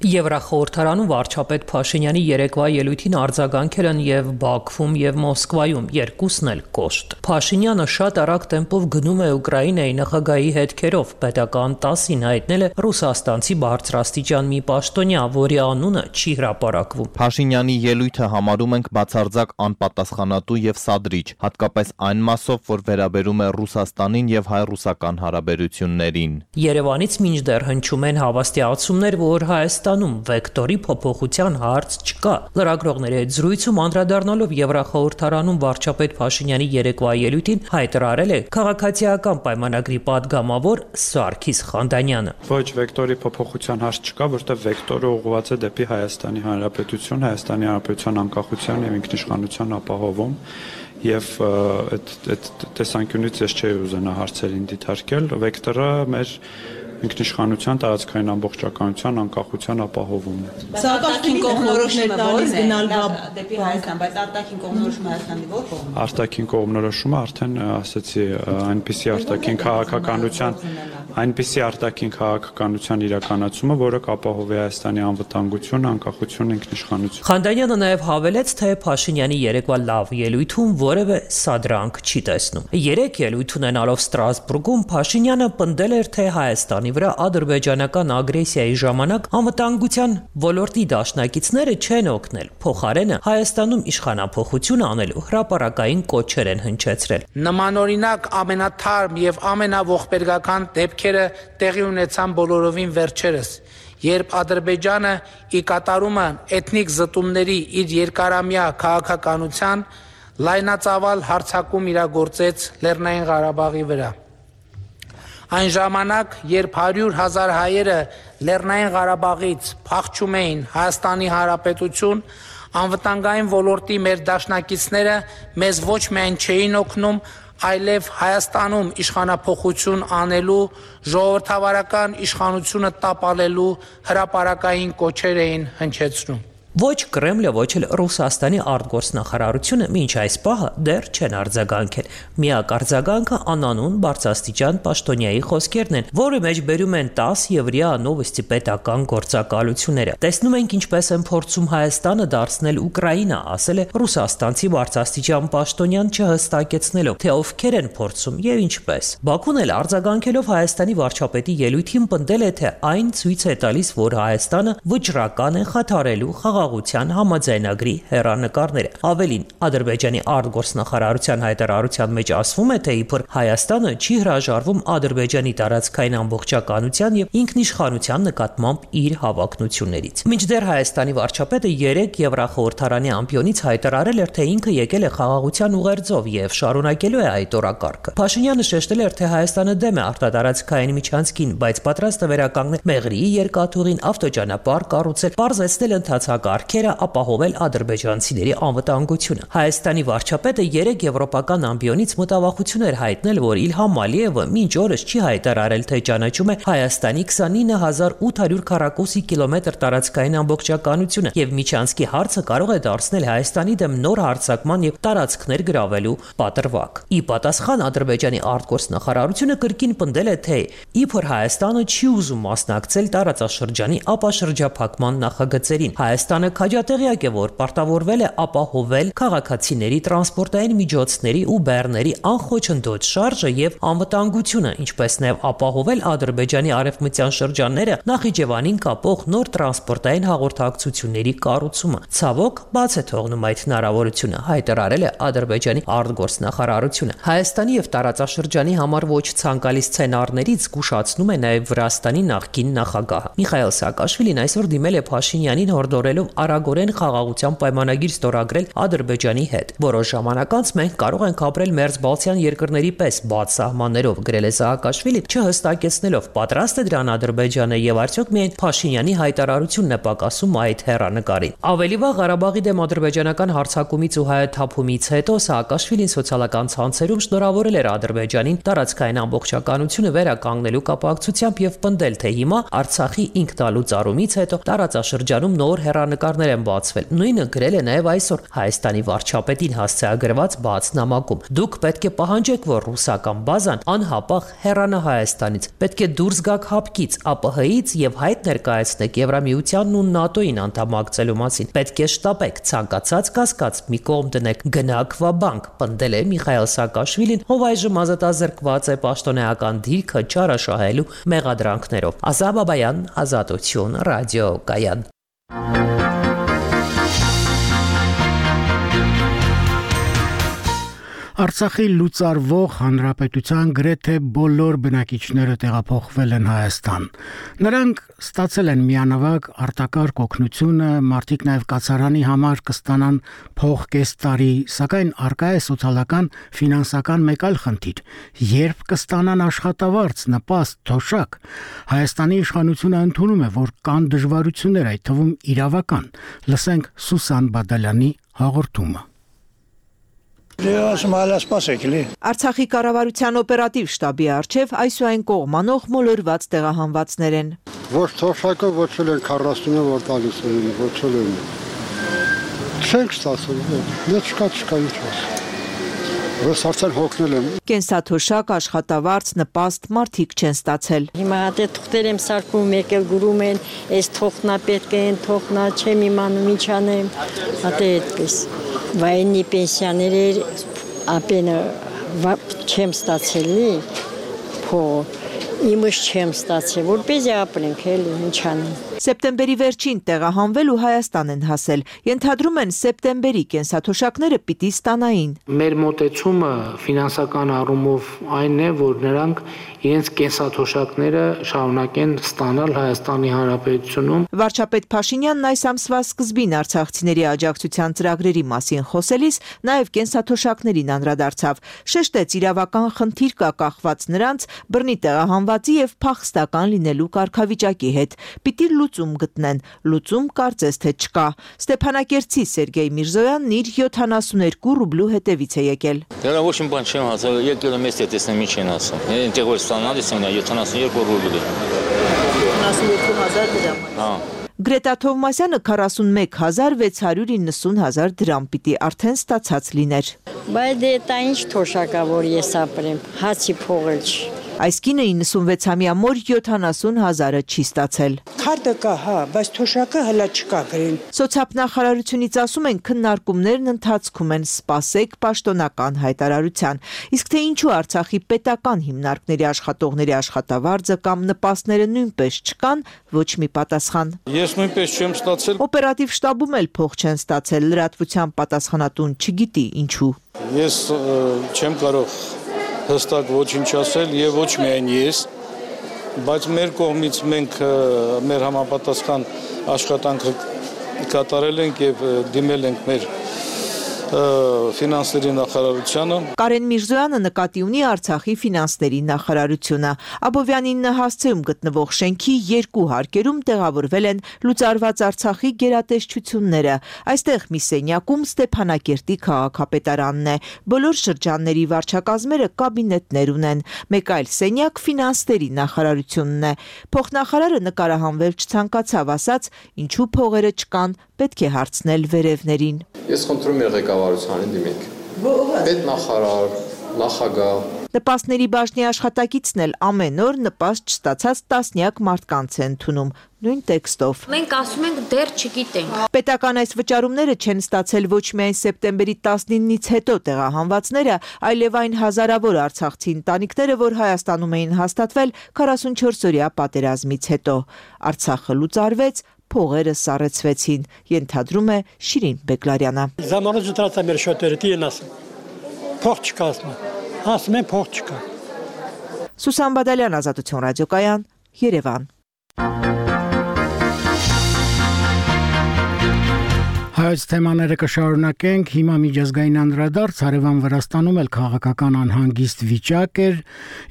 Եվրախորհրդարանում վարչապետ Փաշինյանի երեկվա ելույթին արձագանքել են եւ Բաքվում եւ Մոսկվայում, երկուսն էլ կոշտ։ Փաշինյանը շատ արագ տեմպով գնում է Ուկրաինայի նախագահի հետքերով, պետական տասին հայտնել է ռուսաստանցի բարձրաստիճան մի պաշտոնյա, որի անունը չի հրապարակվում։ Փաշինյանի ելույթը համարում ենք բացարձակ անպատասխանատու եւ սադրիչ, հատկապես այն մասով, որ վերաբերում է Ռուսաստանին եւ հայ-ռուսական հարաբերություններին։ Երևանից մինչդեռ հնչում են հավաստիացումներ, որ Հայաստան վեկտորի փոփոխության հարց չկա։ Լրագրողների հետ զրույցում անդրադառնալով Եվրախորհրդարանում վարչապետ Փաշինյանի երեկվա ելույթին հայտարարել է քաղաքացիական պայմանագրի падգամավոր Սարգիս Խանդանյանը։ Ոչ, վեկտորի փոփոխության հարց չկա, որտեղ վեկտորը ուղղված է դեպի Հայաստանի Հանրապետություն, Հայաստանի Հանրապետության անկախության եւ ինքնիշխանության ապահովում։ Եվ այդ այդ տեսանկյունից ես չէի ուզենա հարցերին դիտարկել, վեկտորը մեր ինքնիշխանության, տարածքային ամբողջականության, անկախության ապահովումն է։ Սա արտաքին կողմնորոշումն է տալիս գնալ դեպի Հայաստան, բայց արտաքին կողմնորոշումը Հայաստանի ո՞ր կողմն է։ Արտաքին կողմնորոշումը արդեն ասացի, այնպիսի արտաքին քաղաքականության, այնպիսի արտաքին քաղաքականության իրականացումը, որը կապահովի Հայաստանի անվտանգությունը, անկախությունը, ինքնիշխանությունը։ Խանդանյանը նաև հավելեց, թե Փաշինյանի երեկվա լավ ելույթում որևէ սադրանք չի տեսնում։ Երեք ելույթ ունենալով Ստրասբուրգում Փաշինյանը պնդել էր, թե Հայաստանի վրա ադրբեջանական ագրեսիայի ժամանակ անվտանգության ոլորտի դաշնակիցները չեն օգնել, փոխարենը Հայաստանում իշխանափոխություն անելու հրապարակային կոչեր են հնչեցրել։ Նմանօրինակ ամենաթարմ եւ ամենաողբերգական դեպքերը տեղի ունեցան բոլորովին վերջերս, երբ Ադրբեջանը ի կատարումը էթնիկ զտումների իր երկարամյա քաղաքականության լայնածավալ հարձակում իրագործեց Լեռնային Ղարաբաղի վրա։ Այն ժամանակ, երբ հարյուր հազար հայերը Լեռնային Ղարաբաղից փախչում էին Հայաստանի Հանրապետություն, անվտանգային ոլորտի մեր դաշնակիցները մեզ ոչ միայն չէին օգնում, այլև Հայաստանում իշխանափոխություն անելու, ժողովրդավարական իշխանությունը տապալելու հրապարակային կոչեր էին հնչեցնում։ Ոչ Կրեմլը, ոչ էլ Ռուսաստանի արտգործնախարարությունը մինչ այս պահը դեռ չեն արձագանքել։ Միակ արձագանքը անանուն բարձրաստիճան պաշտոնյայի խոսքերն են, որը մեջ բերում են տաս եւ ՌԻԱ Նովոստի պետական գործակալությունները։ Տեսնում ենք ինչպես են փորձում Հայաստանը դարձնել Ուկրաինա, ասել է ռուսաստանցի բարձրաստիճան պաշտոնյան չհստակեցնելով, թե ովքեր են փորձում եւ ինչպես։ Բաքուն էլ արձագանքելով Հայաստանի վարչապետի ելույթին պնդել է, թե այն ցույց է տալիս, որ Հայաստանը վճռական է խաթարելու խաղաղության համաձայնագրի հեռանկարները։ Ավելին, Ադրբեջանի արտգործնախարարության հայտարարության մեջ ասվում է, թե իբր Հայաստանը չի հրաժարվում Ադրբեջանի տարածքային ամբողջականության եւ ինքնիշխանության նկատմամբ իր հավակնություններից։ Մինչդեռ Հայաստանի վարչապետը երեք Եվրախորհրդարանի ամբիոնից հայտարարել էր, թե ինքը եկել է խաղաղության ուղերձով եւ շարունակելու է այդ օրակարգը։ Փաշինյանը շեշտել էր, թե Հայաստանը դեմ է արտատարածքային միջանցքին, բայց պատրաստ է վերականգնել Մեղրիի երկաթուղին, ավտոճանապարհ կառուցել, բարձրացնել ընթացակարգերը, ապահովել ադրբեջանցիների անվտանգությունը։ Հայաստանի վարչապետը երեք եվրոպական ամբիոնից մտավախություն էր հայտնել, որ Իլհամ Ալիևը մինչ օրս չի հայտարարել, թե ճանաչում է Հայաստանի քսանինը հազար ութ հարյուր քառակուսի կիլոմետր տարածքային ամբողջականությունը եւ միջանցքի հարցը կարող է դարձնել Հայաստանի դեմ նոր հարձակման եւ տարածքներ գրավելու պատրվակ։ Ի պատասխան Ադրբեջանի արտգործնախարարությունը կրկին պնդել է, թե իբր Հայաստանը չի ուզում մասնակցել տարածաշրջանի ապաշրջափակման նախագծերին։ Հայաստանը քաջատեղյակ է, որ պարտավորվել է ապահովել քաղաքացիների, տրանսպորտային միջոցների ու բեռների անխոչնդոտ շարժը եւ անվտանգությունը, ինչպես նաեւ ապահովել Ադրբեջանի արևմտյան շրջանները Նախիջևանին կապող նոր տրանսպորտային հաղորդակցությունների կառուցումը։ Ցավոք, բաց է թողնում այդ հնարավորությունը, հայտարարել է Ադրբեջանի արտգործնախարարությունը։ Հայաստանի եւ տարածաշրջանի համար ոչ ցանկալի սցենարներից զգուշացնում է նաեւ Վրաստանի նախկին նախագահը։ Միխայել Սաակաշվիլին այսօր դիմել է Փաշինյանին հորդորելով արագորեն խաղաղության պայմանագիր ստորագրել Ադրբեջանի հետ։ Որոշ ժամանակ անց մենք կարող ենք ապրել մերձբալթյան երկրների պես բաց սահմաններով, գրել է Սաակաշվիլին, չհստակեցնելով պատրաստ է դրան Ադրբեջանը եւ արդյոք միայն Փաշինյանի հայտարարությունն է պակասում այդ հեռանկարին։ Ավելի վաղ Ղարաբաղի դեմ ադրբեջանական հարձակումից ու հայաթափումից հետո Սաակաշվիլին սոցիալական ցանցերում շնորհավորել էր Ադրբեջանին տարածքային ամբողջականությունը վերականգնելու կապակցությամբ եւ պնդել, թե հիմա Արցախի ինքնալուծ առումից հետո տարածաշրջանում նոր հեռանկարներ են բացվել։ Նույնը գրել է նաեւ այսօր Հայաստանի վարչապետին հասցեագրված բաց նամակում։ Դուք պետք է պահանջեք, որ ռուսական բազան անհապաղ հեռանա Հայաստանից։ Պետք է դուրս գաք հապկից, ԱՊՀ-ից եւ հայտ ներկայացնեք Եվրամիությանն ու ՆԱՏՕ-ին անդամակցելու մասին։ Պետք է շտապեք, ցանկացած կասկած մի կողմ դնեք, գնաք Վաբանկ, պնդել է Միխայել Սաակաշվիլին, ով այժմ ազատազրկված է պաշտոնեական դիրքը չարաշահելու մեղադրանքներով։ Ազատ Բաբայան, Ազատություն, ռադիո Կայան։ Արցախի լուծարվող հանրապետության գրեթե բոլոր բնակիչները տեղափոխվել են Հայաստան։ Նրանք ստացել են միանավագ արտակարգ օգնությունը, մարդիկ նաև կացարանի համար կստանան փող կես տարի, սակայն առկա է սոցիալական ֆինանսական մեկ այլ խնդիր՝ երբ կստանան աշխատավարձ, նպաստ, թոշակ։ Հայաստանի իշխանությունը ընդունում է, որ կան դժվարություններ, այդ թվում իրավական։ Լսենք Սուսան Բադալյանի հաղորդումը։ Արցախի կառավարության օպերատիվ շտաբի առջև այսուայն կողմանող մոլորված տեղահանվածներ են։ Ոչ թոշակը ոչ էլ են քառասունը որ տալիս են, ոչ էլ են։ Չենք ստացել, դե չկա չկա ինչ ասել։ Ես արդեն հոգնել եմ։ Կենսաթոշակ, աշխատավարձ, նպաստ մարդիկ չեն ստացել։ Հիմա դե թղթեր եմ սարքում, եկել գուրում են, այս թողնա պետք է, այն թողնա, չեմ իմանում ինչ անեմ, ատե այդպես։ Վայնի պենսիաներ ապենը չեմ ստացելի, փող, իմս չեմ ստացել, որպես ապրենք էլ ինչ անեմ։ Սեպտեմբերի վերջին տեղահանվել ու Հայաստան են հասել։ Ենթադրում են սեպտեմբերի կենսաթոշակները պիտի ստանային։ Մեր մոտեցումը ֆինանսական առումով այն է, որ նրանք իրենց կենսաթոշակները շարունակեն ստանալ Հայաստանի Հանրապետությունում։ Վարչապետ Փաշինյանն այս ամսվա սկզբին արցախցիների աջակցության ծրագրերի մասին խոսելիս նաև կենսաթոշակներին անդրադարձավ։ Շեշտեց իրավական խնդիր կա կախված նրանց բռնի տեղահանվածի եւ փախստական լինելու կարգավիճակի հետ։ Պիտի լուծում գտնեն, լուծում կարծես թե չկա։ Ստեփանակերտցի Սերգեյ Միրզոյանն իր յոթանասուներկու ռուբլու հետևից է եկել։ Դրա ոչ մի բան չեմ ասել, եկել եմ էստե տեսնեմ ինչ են ասում։ Այնտեղ որ ստանալիս եմ յոթանասուներկու ռուբլի։ յոթանասուներկու հազար դրամ։ Հա։ Գրետա Թովմասյանը քառասունմեկ հազար վեց հարյուր իննսուն հազար դրամ պիտի արդեն ստացած լիներ։ Բայց դե դա ինչ թոշակա որ ես ապրեմ, հացի փողել չի։ Այս կինը իննսունվեցամյա մոր յոթանասուն հազարը չի ստացել։ Քարտը կա, հա, բայց թոշակը հլա չկա գրել։ Սոցիալնախարարությունից ասում են քննարկումներն ընթացքում են, սպասեք պաշտոնական հայտարարության։ Իսկ թե ինչու Արցախի պետական հիմնարկների աշխատողների աշխատավարձը կամ նպաստները նույնպես չկան, ոչ մի պատասխան։ Ես նույնպես չեմ ստացել։ Օպերատիվ շտաբում էլ փող չեն ստացել, լրատվության պատասխանատուն չգիտի ինչու։ Ես չեմ կարող հստակ ոչինչ ասել եւ ոչ միայն ես, բայց մեր կողմից մենք մեր համապատասխան աշխատանքը կատարել ենք եւ դիմել ենք մեր ֆինանսների նախարարությանը։ Կարեն Միրզոյանը նկատի ունի Արցախի ֆինանսների նախարարությունը։ Աբովյանին հասցեում գտնվող շենքի երկու հարկերում տեղավորվել են լուծարված Արցախի գերատեսչությունները։ Այստեղ մի սենյակում Ստեփանակերտի քաղաքապետարանն է։ Բոլոր շրջանների վարչակազմերը կաբինետներ ունեն։ Մեկ այլ սենյակ ֆինանսների նախարարությունն է։ Փոխնախարարը նկարահանվել չցանկացավ, ասաց, ինչու փողերը չկան, պետք է հարցնել վերևներին։ Ես խնդրում եմ ղեկավարությանին դիմեք։ Պետնախարար, նախագահ։ Նպաստների բաժնի աշխատակիցն էլ ամեն օր նպաստ չստացած տասնյակ մարդկանց է ընդունում, նույն տեքստով։ Մենք ասում ենք դեռ չգիտենք։ Պետական այս վճարումները չեն ստացել ոչ միայն սեպտեմբերի տասնինից հետո տեղահանվածները, այլև այն հազարավոր արցախցի ընտանիքները, որ Հայաստանում էին հաստատվել քառասունչորսօրյա պատերազմից հետո։ Արցախը լուծարվեց, փողերը սառեցվեցին, ենթադրում է Շիրին Բեկլարյանը։ Ժամանակ դրացա մեր շոտերը դին ասում։ Փող չկա ասում։ Ասում են փող չկա։ Սուսան Բադալյան, Ազատություն, ռադիոկայան, Երևան։ Հայոց թեմաները կշարունակենք, հիմա միջազգային անդրադարձ հարևան Վրաստանում էլ քաղաքական անհանգիստ վիճակ էր,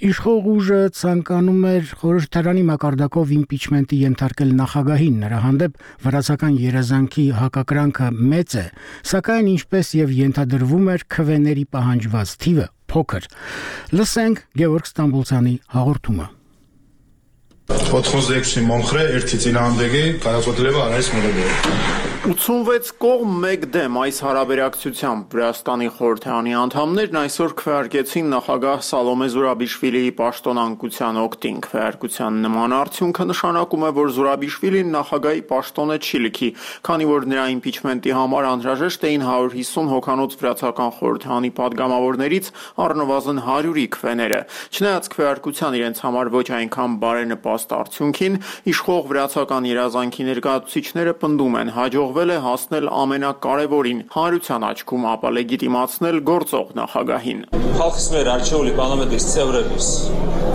իշխող ուժը ցանկանում էր խորհրդարանի մակարդակով իմպիչմենտի ենթարկել նախագահին, նրա հանդեպ վրացական երազանքի հակակրանքը մեծ է, սակայն ինչպես եւ ենթադրվում էր քվեների պահանջված թիվը փոքր։ Լսենք Գևորգ Ստամբուլցյանի հաղորդումը։ Podxozekshi momxre ერთი წინააღმდეგი გადაწყვეტილება არ არის მიღებული։ ութսունվեց կողմ մեկ դեմ այս հարաբերակցությամբ Վրաստանի խորհրդարանի անդամներն այսօր քվեարկեցին նախագահ Սալոմե Զուրաբիշվիլիի պաշտոնանկության օգտին։ Քվեարկության նման արդյունքը նշանակում է, որ Զուրաբիշվիլին նախագահի պաշտոնը չի լքի, քանի որ նրա իմպիչմենտի համար անհրաժեշտ էին հարյուր հիսուն հոգանոց վրացական խորհրդարանի падգամավորներից առնվազն հարյուրի քվեները։ Չնայած քվեարկության իրենց համար ոչ այնքան բարենպաստ արդյունքին, իշխող վրացական երազանքի ներկայացուցիչները պնդում են հաջողվել է հասնել ամենակարևորին՝ հանրության աչքում ապա լեգիտիմացնել գործող նախագահին։ Խալխის մեր արչეული պարլամենտის ծևրების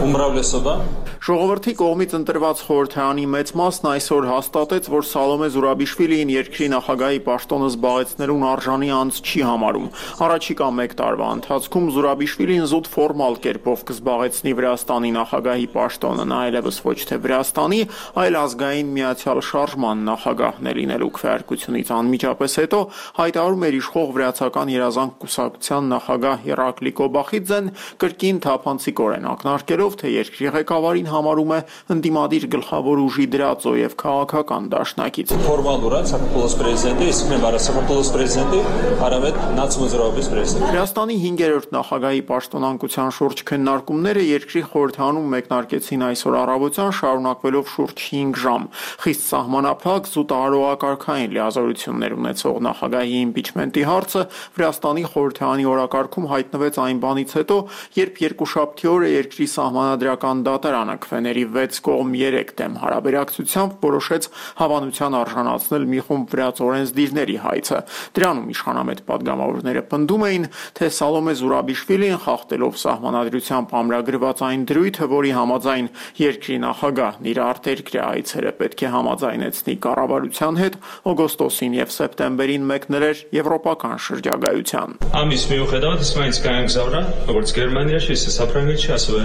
ումրավլեսովա Ժողովրդի կողմից ընտրված խորհրդարանի մեծ մասն այսօր հաստատեց, որ Սալոմե Զուրաբիշվիլիին երկրի նախագահի պաշտոնը զբաղեցնելուն արժանի անձ չի համարում։ Առաջիկա մեկ տարվա ընթացքում Զուրաբիշվիլին զուտ ֆորմալ կերպով կզբաղեցնի Վրաստանի նախագահի պաշտոնը, նա այլևս ոչ թե Վրաստանի, այլ ազգային միացյալ շարժման նախագահն է լինելու։ Քվեարկությունից անմիջապես հետո հայտարարում էր իշխող վրացական երազանք կուսակցության նախագահ Հերակլի Կոբախիձեն կրկին թափանցիկորեն ակնարկելով, թե երկրի ղեկավարին համարում է ընդդիմադիր գլխավոր ուժի դրածո եւ քաղաքական դաշնակից։ Ֆորմալურად Սակապոլոս պրեզիդենտը, իսկ մեր բարը Սակապոլոս պրեզիդենտը արավետ նացիոնալ պրեզիդենտ։ Վրաստանի հինգերորդ նախագահի պաշտոնանկության շուրջ քննարկումները երկրի խորհրդարանում մեկնարկեցին այսօր առավոտյան, շարունակվելով շուրջ հինգ ժամ։ Խիստ սահմանափակ զուտահարողակարգային լիազորություններ ունեցող նախագահի իմպիչմենտի հարցը Վրաստանի խորհրդարանի օրակարգում հայտնվեց այն բանից հետո, երբ երկուշաբթի օրը երկրի սահմանադրական դատարանը քվեների վեց կողմ երեք դեմ հարաբերակցությամբ որոշեց հավանության արժանացնել մի խումբ վրաց օրենսդիրների հայցը։ Դրանում իշխանամետ падգամավորները պնդում էին, թե Սալոմե Զուրաբիշվիլին խախտելով սահմանադրությամբ ամրագրված այն դրույթը, որի համաձայն երկրի նախագահն իր արտերկրյա այցերը պետք է համաձայնեցնի կառավարության հետ, օգոստոսին եւ սեպտեմբերին մեկնել էր եվրոպական շրջագայության։ Ամիս միուხედავად ის მაინც გაემგზავრა, როგორც გერმანიაში, ისე საფრანგეთში, ასევე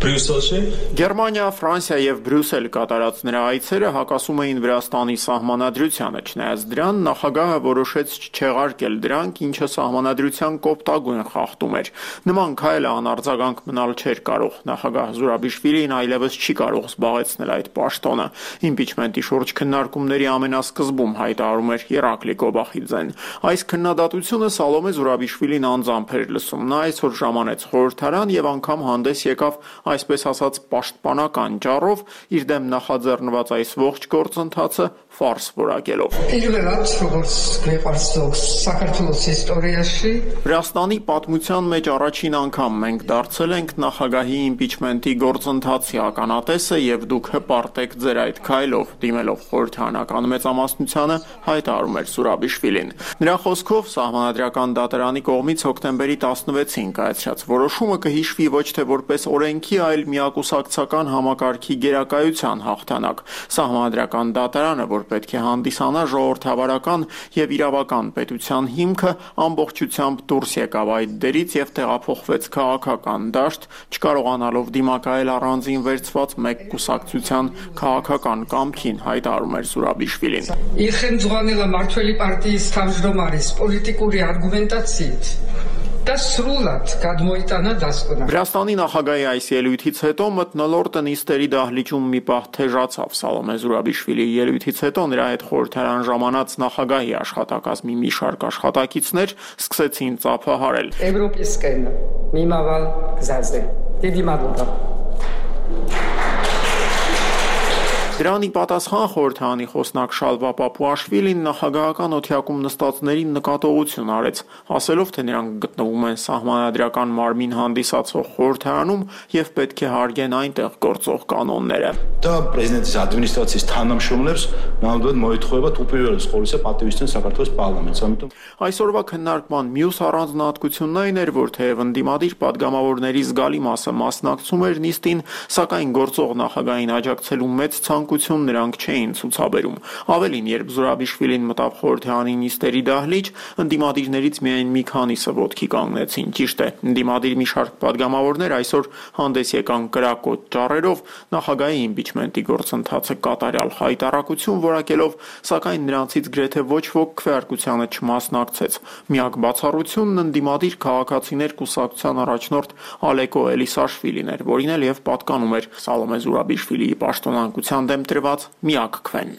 ბრიუსელში։ Գերմանիա, Ֆրանսիա եւ Բրյուսել կատարած նրա այցերը հակասում էին Վրաստանի սահմանադրությանը, չնայած դրան նախագահը որոշեց չեղարկել դրանք, ինչը սահմանադրության կոպտագույն խախտում էր։ Նման քայլը անարձագանք մնալ չէր կարող։ Նախագահ Զուրաբիշվիլին այլևս չի կարող զբաղեցնել այդ պաշտոնը։ Իմպիչմենտի շուրջ քննարկումների ամենասկզբում հայտարարում էր Հերակլի Կոբախիձեն։ Այս քննադատությունը Սալոմե Զուրաբիշվիլին անձամբ էր լսում։ Նա այսօր ժամանեց խորհրդարան եւ անգամ հանդես եկավ այսպես ասած պաշտպանական ջառով, իր դեմ նախաձեռնված այս ողջ գործընթացը ֆարս որակելով։ Პირველად, როგორც გვეყარს ზოგს საქართველოს ისტორიაში, Վրաստանի պատմության մեջ առաջին անգամ մենք դարձել ենք նախագահի իմպիչմենտի գործընթացի ականատեսը եւ դուք հպարտ եք ձեր այդ քայլով, դիմելով խորհրդարանական մեծամասնությանը, հայտարարում էր Զուրաբիշվիլին։ Նրա խոսքով սահմանադրական դատարանի կողմից հոկտեմբերի տասնվեցին կայացրած որոշումը կհիշվի ոչ թե որպես օրենքի, այլ միակուսակցական համակարգի գերակայության հաղթանակ։ Սահմանադրական դատարանը, որ պետք է հանդիսանա ժողովրդավարական եւ իրավական պետության հիմքը, ամբողջությամբ դուրս եկավ այդ դերից եւ տեղափոխվեց քաղաքական դաշտ, չկարողանալով դիմակայել առանձին վերցված մեկ կուսակցության քաղաքական կամքին, հայտարարում էր Զուրաբիշվիլին։ იხელმძღვანელა მართველი პარტიის თავმჯდომარის პოლიტიკური არგუმენტაციით და სრულად გადმოიტანა დასკვნა։ Վրաստանի նախագահի այս ելույթից հետո մթնոլորտը նիստերի դահլիճում մի պահ թեժացավ։ Սալոմե Զուրաբիշվիլիի ելույթից հետո նրա հետ խորհրդարան ժամանած նախագահի աշխատակազմի մի շարք աշխատակիցներ սկսեցին ծափահարել։ Եվրոպիսկեն միմավալ գզազե։ Դիդի մադլոբա։ Դրանի պատասխան խորհրդարանի խոսնակ Շալվա Պապուաշվիլին նախագահական օթյակում նստածներին նկատողություն արեց, ասելով, թե նրանք գտնվում են սահմանադրական մարմին հանդիսացող խորհրդարանում եւ պետք է հարգեն այնտեղ գործող կանոնները։ Դա պրեզիդենտის ադմինիստրացიის თანამშრომლებს նამდვილად მოეთხოვებათ უპირველეს ყოვლისა პატივისცემ საქართველოს პარლამენტს, ამიტომ Այսօրվա քննարկման մյուս առանձնահատկությունն այն էր, որ թեև ընդդիմադիր падգամավորների զգալի մասը մասնակցում էր նիստին, սակայն գործող նախագահին աջակցելու մեծ ցանկ ցանկություն նրանք չէին ցուցաբերում։ Ավելին, երբ Զուրաբիշվիլին մտավ խորհրդարանի նիստերի դահլիճ, ընդդիմադիրներից միայն մի քանիսը ոտքի կանգնեցին։ Ճիշտ է, ընդդիմադիր մի շարք падգամավորներ այսօր հանդես եկան կրակոտ ճառերով, նախագահի իմպիչմենտի գործընթացը կատարյալ հայտարարություն որակելով, սակայն նրանցից գրեթե ոչ ոք քվեարկությանը չմասնակցեց։ Միակ բացառությունն ընդդիմադիր քաղաքացիներ կուսակցության առաջնորդ Ալեկո Էլիսաշվիլին էր, որին էլ եւ պատկանում էր Սալոմե Զուրաբիշվիլիի պաշտոնանկության դեմ տրված միակ քվեն։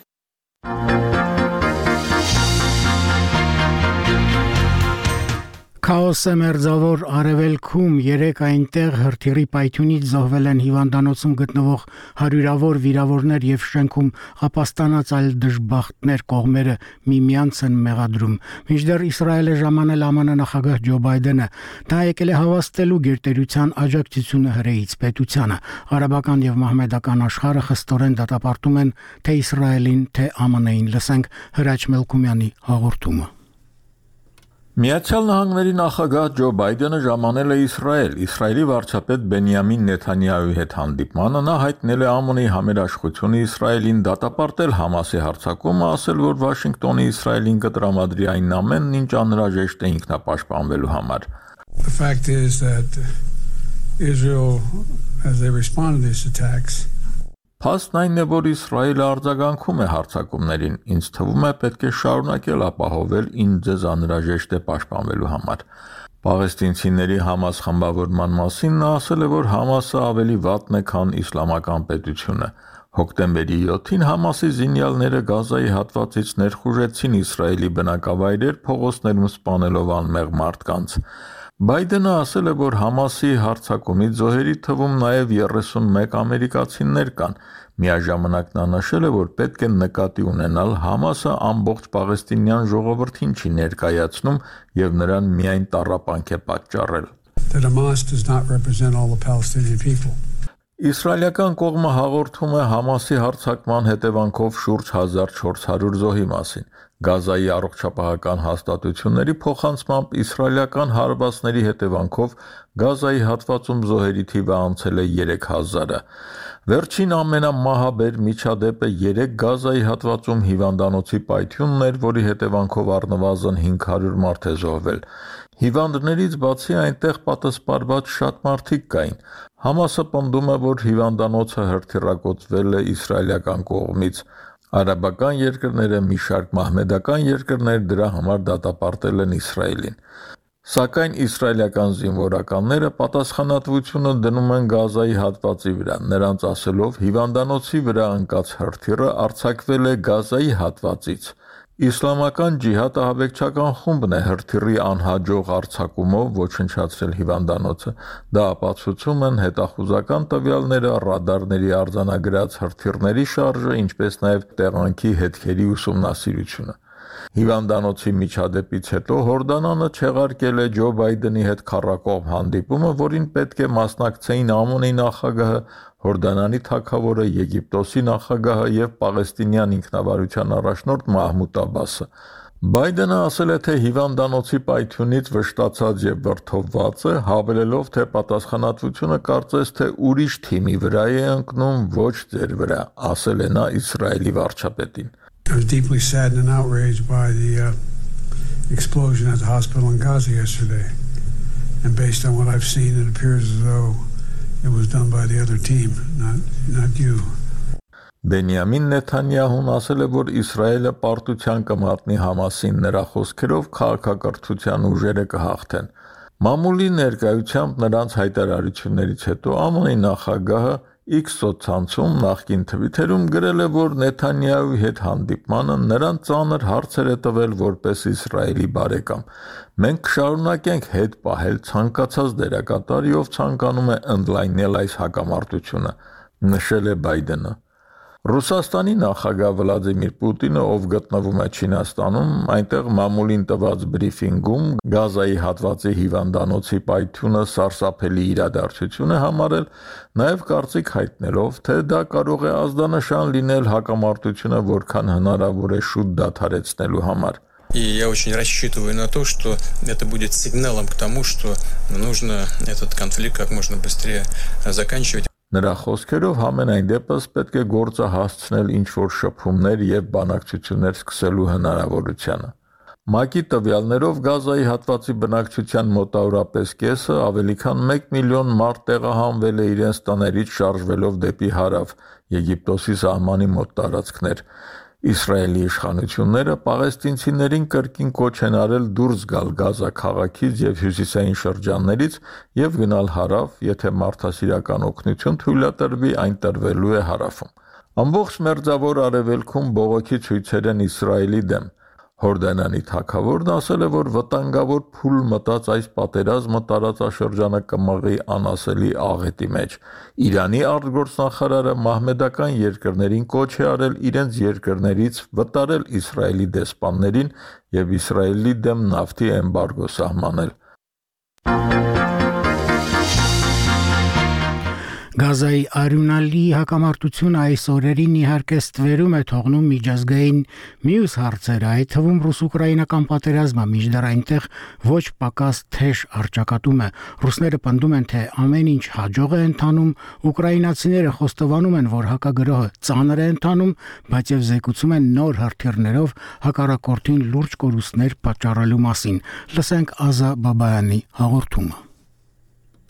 Քաոսը մերձավոր արևելքում երեք այնտեղ հրթիռի պայթյունից զոհվել են հիվանդանոցում գտնվող հարյուրավոր վիրավորներ եւ շենքում ապաստանած այլ դժբախտներ կողմերը միմյանց են մեղադրում։ Մինչդեռ Իսրայելը ժամանել ԱՄՆ նախագահ Ջո Բայդենը դա եկել է հավաստելու գերտերության աջակցությունը հրեից պետությանը։ Արաբական եւ մահմեդական աշխարհը խստորեն դատապարտում են թե Իսրայելին, թե ԱՄՆ-ին։ Լսենք Հրաչ Մելքումյանի հաղորդումը։ Միացյալ Նահանգների նախագահ Ջո Բայդենը ժամանել է Իսրայել։ Իսրայելի վարչապետ Բենյամին Նեթանյահուի հետ հանդիպմանը նա հայտնել է ԱՄՆ-ի համերաշխությունը Իսրայելին դատապարտել Համասի հարձակումը, ասել, որ Վաշինգտոնը Իսրայելին կտրամադրի այն ամենն, ինչ անհրաժեշտ է ինքնապաշտպանվելու համար։ The fact is that Israel, as they respond to these attacks, Փաստն այն է, որ Իսրայելը արձագանքում է հարձակումներին, ինձ թվում է պետք է շարունակել ապահովել, ինչ ձեզ անհրաժեշտ է պաշտպանվելու համար։ Պաղեստինցիների Համաս խմբավորման մասին նա ասել է, որ Համասը ավելի վատն է, քան իսլամական պետությունը։ Հոկտեմբերի յոթին Համասի զինյալները Գազայի հատվածից ներխուժեցին Իսրայելի բնակավայրեր, փողոցներում սպանելով անմեղ մարդկանց։ Բայդենը ասել է, որ Համասի հարձակումից զոհերի թվում նաև երեսունմեկ ամերիկացիներ կան։ Միաժամանակ նա նշել է, որ պետք է նկատի ունենալ Համասը ամբողջ պաղեստինյան ժողովրդին չի ներկայացնում եւ նրան միայն տառապանք է պատճառել։ The Hamas does not represent all the Palestinian people. Իսրայելական կողմը հաղորդում է Համասի հարձակման հետևանքով շուրջ հազար չորս հարյուր զոհի մասին։ Գազայի առողջապահական հաստատությունների փոխանցմամբ իսրայելական հարվածների հետևանքով Գազայի հատվածում զոհերի թիվը անցել է երեք հազարը։ Վերջին ամենամահաբեր միջադեպը երեք Գազայի հատվածում հիվանդանոցի պայթյունն էր, որի հետևանքով առնվազն հինգ հարյուր մարդ է զոհվել։ Հիվանդներից բացի այնտեղ պատասպարված շատ մարդիկ կային։ Համասը պնդում է, որ հիվանդանոցը հրթիռակոծվել է իսրայելական կողմից։ Արաբական երկրները, մի շարք մահմեդական երկրներ դրա համար դատապարտել են Իսրայելին։ Սակայն իսրայելական զինվորականները պատասխանատվությունը դնում են Գազայի հատվածի վրա։ Նրանց ասելով, հիվանդանոցի վրա ընկած հրթիռը արձակվել է Գազայի հատվածից։ Իսլամական ջիհադը հավեկչական խումբն է հրթիռի անհաջող արձակումով ոչնչացրել հիվանդանոցը։ Դա ապացուցում են հետախուզական տվյալները, ռադարների արձանագրած հրթիռների շարժը, ինչպես նաև տեղանքի հետքերի ուսումնասիրությունը։ Հիվանդանոցի միջադեպից հետո Հորդանանը չեղարկել է Ջո Բայդենի հետ քառակողմ հանդիպումը, որին պետք է մասնակցեին ԱՄՆ-ի նախագահը, Հորդանանի թագավորը, Եգիպտոսի նախագահը եւ Պաղեստինյան ինքնավարության առաջնորդ Մահմուդ Աբասը։ Բայդենը ասել է, թե հիվանդանոցի պայթյունից վշտացած եւ վրդովված է, հավելելով, թե պատասխանատվությունը կարծես թե ուրիշ թիմի վրա է ընկնում, ոչ ձեր վրա, ասել է նա Իսրայելի վարչապետին։ I was deeply saddened and outraged by the uh, explosion at the hospital in Gaza yesterday. And based on what I've seen, it appears as though it was done by the other team, not, not you. Բենյամին Նեթանյահուն ասել է, որ Իսրայելը պարտության կմատնի Համասին, նրա խոսքերով քաղաքակրթության ուժերը կհաղթեն։ Մամուլի ներկայությամբ նրանց հայտարարություններից հետո ԱՄՆ-ի նախագահը X սոցցանցում նախկին թվիթերում գրել է, որ Նեթանյահուի հետ հանդիպմանը նրան ծանր հարցեր է տվել որպես Իսրայելի բարեկամ։ Մենք կշարունակենք հետ պահել ցանկացած դերակատարի, ով ցանկանում է ընդլայնել այս հակամարտությունը, նշել է Բայդենը։ Ռուսաստանի նախագահ Վլադիմիր Պուտինը, ով գտնվում է Չինաստանում, այնտեղ մամուլին տված բրիֆինգում Գազայի հատվածի հիվանդանոցի պայթյունը սարսափելի իրադարձություն է համարել, նաև կարծիք հայտնելով, թե դա կարող է ազդանշան լինել հակամարտությունը որքան հնարավոր է շուտ դադարեցնելու համար։ И я очень рассчитываю на то, что это будет сигналом к тому, что нужно этот конфликт как можно быстрее заканчивать. Նրա խոսքերով համենայն դեպս պետք է գործը հասցնել ինչ-որ շփումներ եւ բանակցություններ սկսելու հնարավորությանը։ ՄԱԿ-ի տվյալներով Գազայի հատվածի բնակչության մոտավորապես կեսը, ավելի քան մեկ միլիոն մարդ տեղահանվել է իրենց տներից շարժվելով դեպի հարավ, Եգիպտոսի սահմանի մոտ տարածքներ։ Իսրայելի իշխանությունները պաղեստինցիներին կրկին կոչ են արել դուրս գալ Գազա քաղաքից եւ հյուսիսային շրջաններից եւ գնալ հարավ, եթե մարդասիրական օգնություն թույլատրվի, այն տրվելու է հարավում։ Ամբողջ մերձավոր արևելքում բողոքի ցույցեր են Իսրայելի դեմ։ Հորդանանի թագավորն ասել է, որ վտանգավոր փուլ մտած այս պատերազմը տարածաշրջանը կմղի անասելի աղետի մեջ։ Իրանի արտգործնախարարը մահմեդական երկրներին կոչ է արել իրենց երկրներից վտարել Իսրայելի դեսպաններին եւ Իսրայելի դեմ նավթի էմբարգո սահմանել։ Գազայի արյունալի հակամարտությունը այս օրերին իհարկե ստվերում է թողնում միջազգային մյուս հարցեր, այդ թվում ռուս-ուկրաինական պատերազմը, մինչդեռ այնտեղ ոչ պակաս թեժ առճակատում է։ Ռուսները պնդում են, թե ամեն ինչ հաջող է ընթանում, ուկրաինացիները խոստովանում են, որ հակագրոհը ծանր է ընթանում, բայց եւ զեկուցում են նոր հրթիռներով հակառակորդին լուրջ կորուստներ պատճառելու մասին։ Լսենք Ազա Բաբայանի հաղորդումը։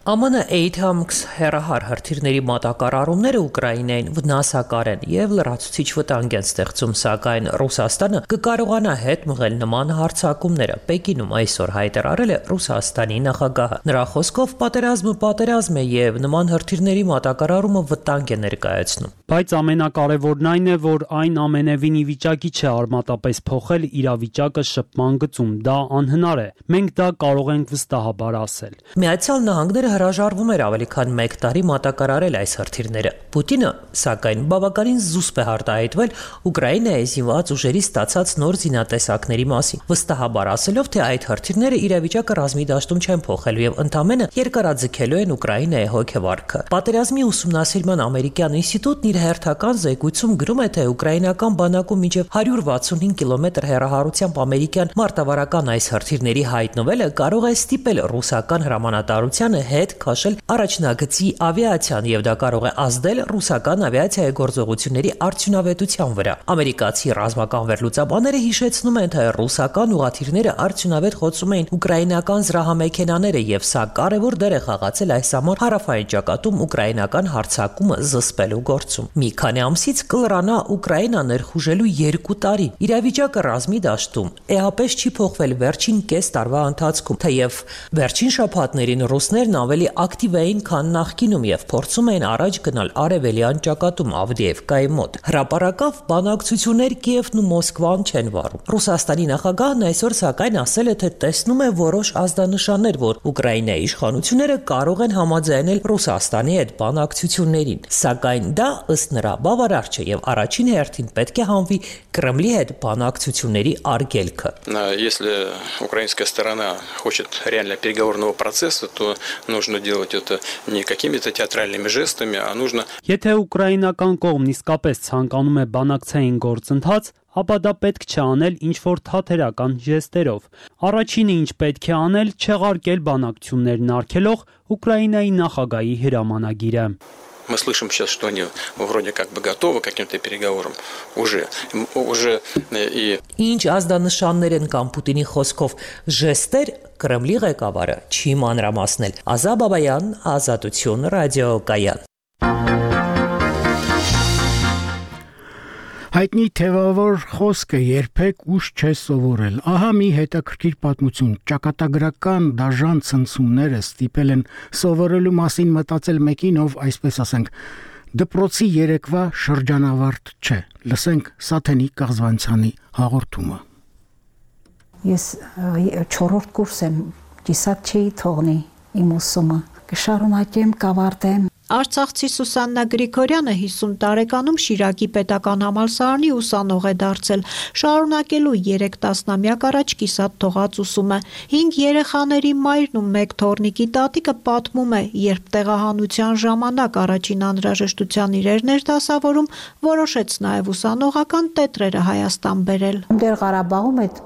Է Մ Ն Աթամքս հերահար հրթիռների մատակարարումները Ուկրաինային վնասակար են եւ լրացուցիչ վտանգ են ստեղծում, սակայն Ռուսաստանը կկարողանա հետ մղել նման հարձակումները։ Պեկինում այսօր հայտարարել է Ռուսաստանի նախագահը։ Նրա խոսքով պատերազմը պատերազմ է եւ նման հրթիռների մատակարարումը վտանգ է ներկայացնում։ Բայց ամենակարևորն այն է, որ այն ամենևին ի վիճակի չէ արմատապես փոխել իրավիճակը շփման գծում։ Դա անհնար է։ Մենք դա կարող ենք վստահաբար ասել։ Միացյալ Նահանգները հրաժարվում էր ավելի քան մեկ տարի մատակարարել այս հրթիռները։ Պուտինը, սակայն, բավականին զուսպ է արտահայտվել Ուկրաինայի զինված ուժերի ստացած նոր զինատեսակների մասին, վստահաբար ասելով, թե այդ հրթիռները իրավիճակը ռազմի դաշտում չեն փոխելու եւ ընդամենը երկարաձգելու են Ուկրաինայի հոգեվարքը։ Պատերազմի ուսումնասիրման ամերիկյան ինստիտուտն իր հերթական զեկույցում գրում է, թե ուկրաինական բանակում մինչև հարյուր վաթսունհինգ կիլոմետր հեռահարությամբ ամերիկյան մարտավարական այս հրթիռների հայտնվելը կարող է ստիպել ռուսական հրամանատարությանը հետ քաշել առաջնագծի ավիացիան եւ դա կարող է ազդել ռուսական ավիացիայի գործողությունների արդյունավետության վրա։ Ամերիկացի ռազմական վերլուծաբանները հիշեցնում են, թե ռուսական ուղաթիռները արդյունավետ խոցում էին ուկրաինական զրահամեքենաները եւ սա կարևոր դեր է խաղացել այս ամառ հարավային ճակատում ուկրաինական հարձակումը զսպելու գործում։ Մի քանի ամսից կլրանա Ուկրաինա ներխուժելու երկու տարի։ Իրավիճակը ռազմի դաշտում էապես չի փոխվել վերջին կես տարվա ընթացքում, թեև վերջին շաբաթներին ռուսներն ավելի ակտիվ էին, քան նախկինում եւ փորձում էին առաջ գնալ արևելյան ճակատում Ավդիևկայի մոտ։ Հրապարակավ բանակցություններ Կիևն ու Մոսկվան չեն վարում։ Ռուսաստանի նախագահն այսօր սակայն ասել է, թե տեսնում է որոշ ազդանշաններ, որ Ուկրաինայի իշխանությունները կարող են համաձայնել Ռուսաստանի հետ բանակցություններին, сакայն դա ըստ նրա բավարար չէ եւ առաջին հերթին պետք է հանվի Կրեմլի հետ բանակցությունների արգելքը։ Если украинская сторона хочет реально переговорного процесса, то нужно делать это не какими-то театральными жестами, а нужно. Եթե ուկրաինական կողմն իսկապես ցանկանում է բանակցային գործընթաց, ապա դա պետք չէ անել ինչ-որ թատերական ժեստերով։ Առաջինը ինչ պետք է անել, չեղարկել բանակցություններն արգելող Ուկրաինայի նախագահի հրամանագիրը։ Мы слышим сейчас, что они вроде как бы готовы к каким-то переговорам уже уже и Ինչ ազդանշաններ են կամ Պուտինի խոսքով ժեստեր Կրեմլի ղեկավարը չի մանրամասնել։ Ազա Բաբայան, Ազատություն, ռադիոկայան։ Հայտնի թևավոր խոսքը երբեք ուշ չէ սովորել։ Ահա մի հետաքրքիր պատմություն։ Ճակատագրական դաժան ցնցումները ստիպել են սովորելու մասին մտածել մեկին, ով, այսպես ասենք, դպրոցի երեկվա շրջանավարտ չէ։ Լսենք Սաթենի Կաղզվանցյանի հաղորդումը։ Ես չորրորդ կուրս եմ, կիսատ չի թողնի իմ ուսումը։ Կշարունակեմ, կավարտեմ։ Արցախցի Սուսաննա Գրիգորյանը հիսուն տարեկանում Շիրակի պետական համալսարանի ուսանող է դարձել, շարունակելու երեք տասնամյակ առաջ կիսատ թողած ուսումը։ Հինգ երեխաների մայրն ու մեկ թոռնիկի տատիկը պատմում է, երբ տեղահանության ժամանակ առաջին անհրաժեշտության իրերն էր դասավորում, որոշեց նաև ուսանողական տետրերը Հայաստան բերել։ Դեր Ղարաբաղում այդ